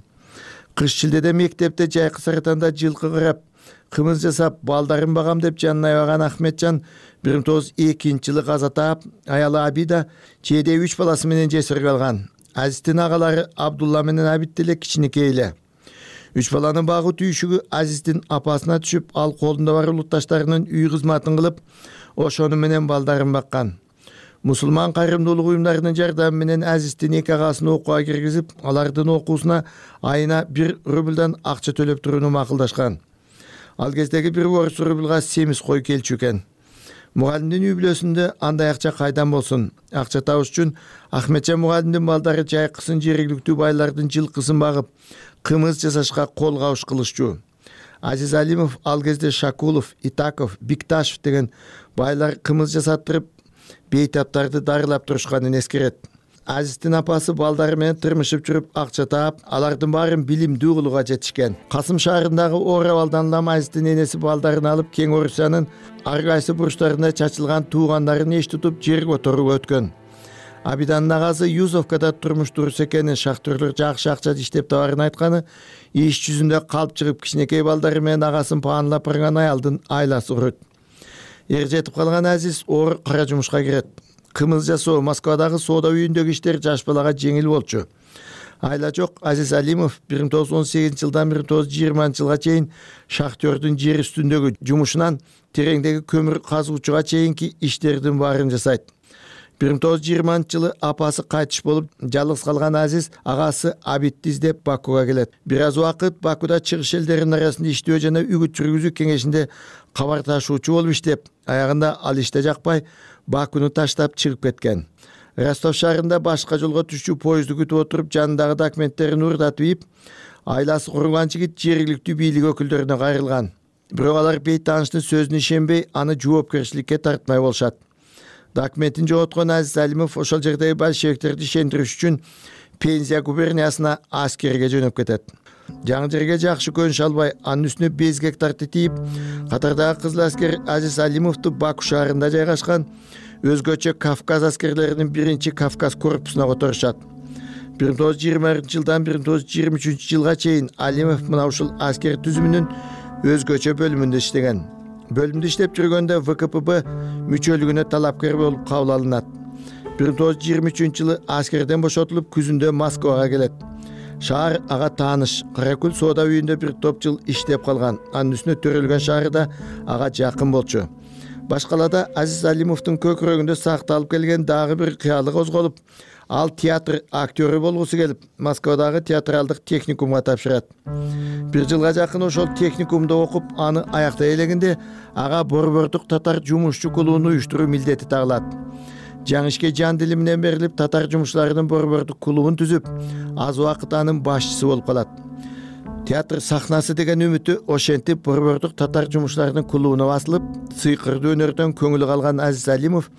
Speaker 7: Кыш шилдеде мектепте жайкы саратанда жылкы кырап, кымыз жасап, балдарын багам деп жанына аябаган Ахметжан бир миң тогуз жүз экинчи жылы каза таап, аялы Абида чейде үч баласы менен жесир калган. Азиздин агалары Абдулла менен Абид деле кичинекей эле. Үч баланын багуу түйшүгү Азиздин апасына түшүп, ал колунда бар улутташтарынын үй кызматын кылып, ошону менен балдарын баккан. Мусулман кайрымдуулук уюмдарынын жардамы менен Азиздин эки агасын окууга киргизип, алардын окуусуна айына бир рублдан акча төлөп турууну макулдашкан. Ал кездеги бир орус рублга семиз кой келчү экен. Мугалимдин үй бүлөсүндө андай акча кайдан болсун? Акча табыш үчүн Ахметжан мугалимдин балдары жайкысын жергиликтүү байлардын жылкысын багып, кымыз жасашка кол кабыш кылышчу. Азиз Алимов ал кезде Шакулов, Итаков, Бикташев деген байлар кымыз жасаттырып, бейтаптарды дарылап турушканын эскерет. Азиздин апасы балдары менен тырмышып жүрүп акча таап, алардын баарын билимдүү кылууга жетишкен. Касым шаарындагы Оравалдан улам Азиздин энеси балдарын алып, Кең Орусиянын ар кайсы бурчтарында чачылган туугандарын эч тутуп жер которууга өткөн. Абиданын агасы Юзовкада турмуш дурус экенин, шахтерлер жакшы акча иштеп табарын айтканы, иш жүзүндө калп чыгып кичинекей балдары менен агасын паанлап барган аялдын айласы урут. Эр жетип калган Азиз оор кара жумушка кирет. Кымыз жасоо, Москвадагы соода үйүндөгү иштер жаш балага жеңил болчу. Айла жок, Азиз Алимов бир миң тогуз жүз он сегизинчи жылдан бир миң тогуз жүз жыйырманчы жылга чейин шахтердин жер үстүндөгү жумушунан тереңдеги көмүр казуучуга чейинки иштердин баарын жасайт. бир миң тогуз жүз жыйырманчы жылы апасы кайтыш болуп, жалгыз калган Азиз агасы Абидти издеп Бакуга келет. Бир аз убакыт Бакуда чыгыш элдеринин арасында иштөө жана үгүт жүргүзүү кеңешинде кабар ташуучу болуп иштеп, аягында ал иште жакпай Бакуну таштап чыгып кеткен. Ростов шаарында башка жолго түшчү поезду күтүп отуруп, жанындагы документтерин урдатып ийип, айласы курулган жигит жергиликтүү бийлик өкүлдөрүнө кайрылган. Бирок алар бейтааныштын сөзүнө ишенбей, аны жоопкерчиликке тартмай болушат. Документин жоготкон Азиз Алимов ошол жердеги большевиктерди ишендириш үчүн Пензия губерниясына аскерге жөнөп кетет. Жаңы жерге жакшы көнүш албай, анын үстүнө беш гектарды тийип, катардагы кызыл аскер Азиз Алимовду Баку шаарында жайгашкан өзгөчө Кавказ аскерлеринин биринчи Кавказ корпусуна которушат. бир миң тогуз жүз жыйырма биринчи жылдан бир миң тогуз жүз жыйырма үчүнчү жылга чейин Алимов мына ушул аскер түзүмүнүн өзгөчө бөлүмүндө иштеген. Бөлүмдө иштеп жүргөндө вэ ка пэ бэ мүчөлүгүнө талапкер болуп кабыл алынат. бир миң тогуз жүз жыйырма үчүнчү жылы аскерден бошотулуп, күзүндө Москвага келет. Шаар ага тааныш. Каракөл соода үйүндө бир топ жыл иштеп калган. Анын үстүнө төрөлгөн шаары да ага жакын болчу. Башкалада Азиз Алимовдун көкүрөгүндө сакталып келген дагы бир кыялы козголуп, ал театр актёру болгусу келип, Москвадагы театралдык техникумга тапшырат. Бир жылга жакын ошол техникумда окуп, аны аяктай элегенде ага борбордук татар жумушчу клубун уюштуруу милдети тагылат. Жаңы ишке жан дили менен берилип, татар жумушчуларынын борбордук клубун түзүп, аз убакыт анын башчысы болуп калат. Театр сахнасы деген үмүтү ошентип борбордук татар жумушчуларынын клубуна басылып, сыйкырдуу өнөрдөн көңүлү калган Азиз Алимов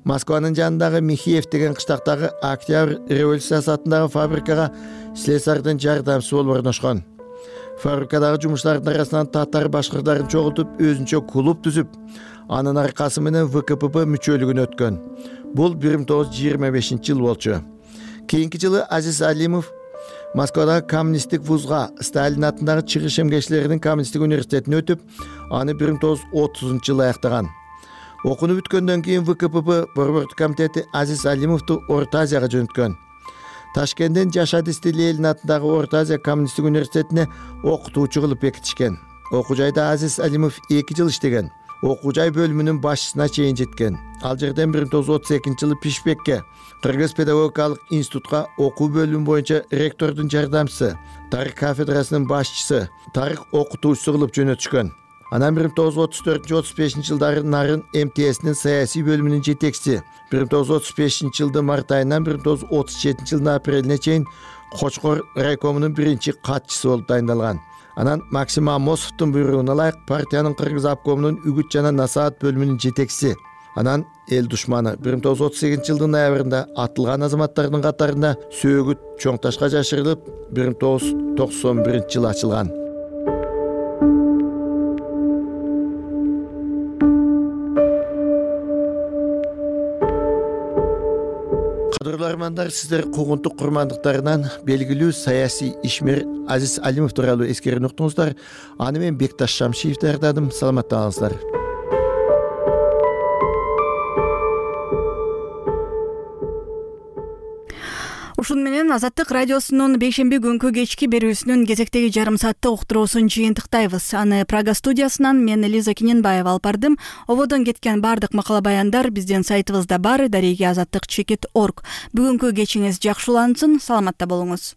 Speaker 7: Москванын жанындагы Михеев деген кыштактагы Октябрь революциясы атындагы фабрикага слесардын жардамчысы болуп орношкон. Фабрикадагы жумушчулардын арасынан татар башкырдарын чогултуп, өзүнчө клуб түзүп, анын аркасы менен вэ ка пэ бэ мүчөлүгүнө өткөн. Бул бир миң тогуз жүз жыйырма бешинчи жыл болчу. Кийинки жылы Азиз Алимов Москвадагы коммунисттик вузга, Сталин атындагы чыгыш эмгечилеринин коммунисттик университетине өтүп, аны бир миң тогуз жүз отузунчу жылы аяктаган. Окууну бүткөндөн кийин вэ ка пэ бэ борбордук комитети Азиз Алимовду Орто Азияга жөнөткөн. Ташкенттен Жашад Истилиэлин атындагы Орто Азия коммунисттик университетине окутуучу кылып бекитишкен. Окуу жайда Азиз Алимов эки жыл иштеген. Окуу жай бөлүмүнүн башчысына чейин жеткен. Ал жерден бир миң тогуз жүз отуз экинчи жылы Пишпекке, Кыргыз педагогикалык институтка окуу бөлүмү боюнча ректордун жардамчысы, тарых кафедрасынын башчысы, тарых окутуучусу кылып жөнөтүшкөн. Анан бир миң тогуз жүз отуз төртүнчү отуз бешинчи жылдары Нарын эм тэ эсинин саясий бөлүмүнүн жетекчиси, бир миң тогуз жүз отуз бешинчи жылдын март айынан бир миң тогуз жүз отуз жетинчи жылдын апрелине чейин Кочкор райкомунун биринчи катчысы болуп дайындалган. Анан Максим Амосовдун буйругуна ылайык партиянын Кыргыз обкомунун үгүт жана насаат бөлүмүнүн жетекчиси. Анан эл душманы бир миң тогуз жүз отуз сегизинчи жылдын ноябрында атылган азаматтардын катарында сөөгүт чоң ташка жашырылып бир миң тогуз жүз токсон биринчи жылы ачылган. Кадырлуу армандар, сиздер куугунтук курмандыктарынан белгилүү саясий ишмер Азиз Алимов тууралуу эскерүүнү уктуңуздар. Аны мен Бекташ Шамшиев даярдадым. Саламатта калыңыздар.
Speaker 1: Ушун менен Азаттык радиосунун бейшемби күнкү кечки берүүсүнүн кезектеги жарым сааттык уктуруусун жыйынтыктайбыз. Аны Прага студиясынан мен Элиза Киненбаева алып бардым. Ободон кеткен бардык макала баяндар биздин сайтыбызда бар, дареги азаттык чекит точка орг. Бүгүнкү кечиңиз жакшылансын, саламатта болуңуз.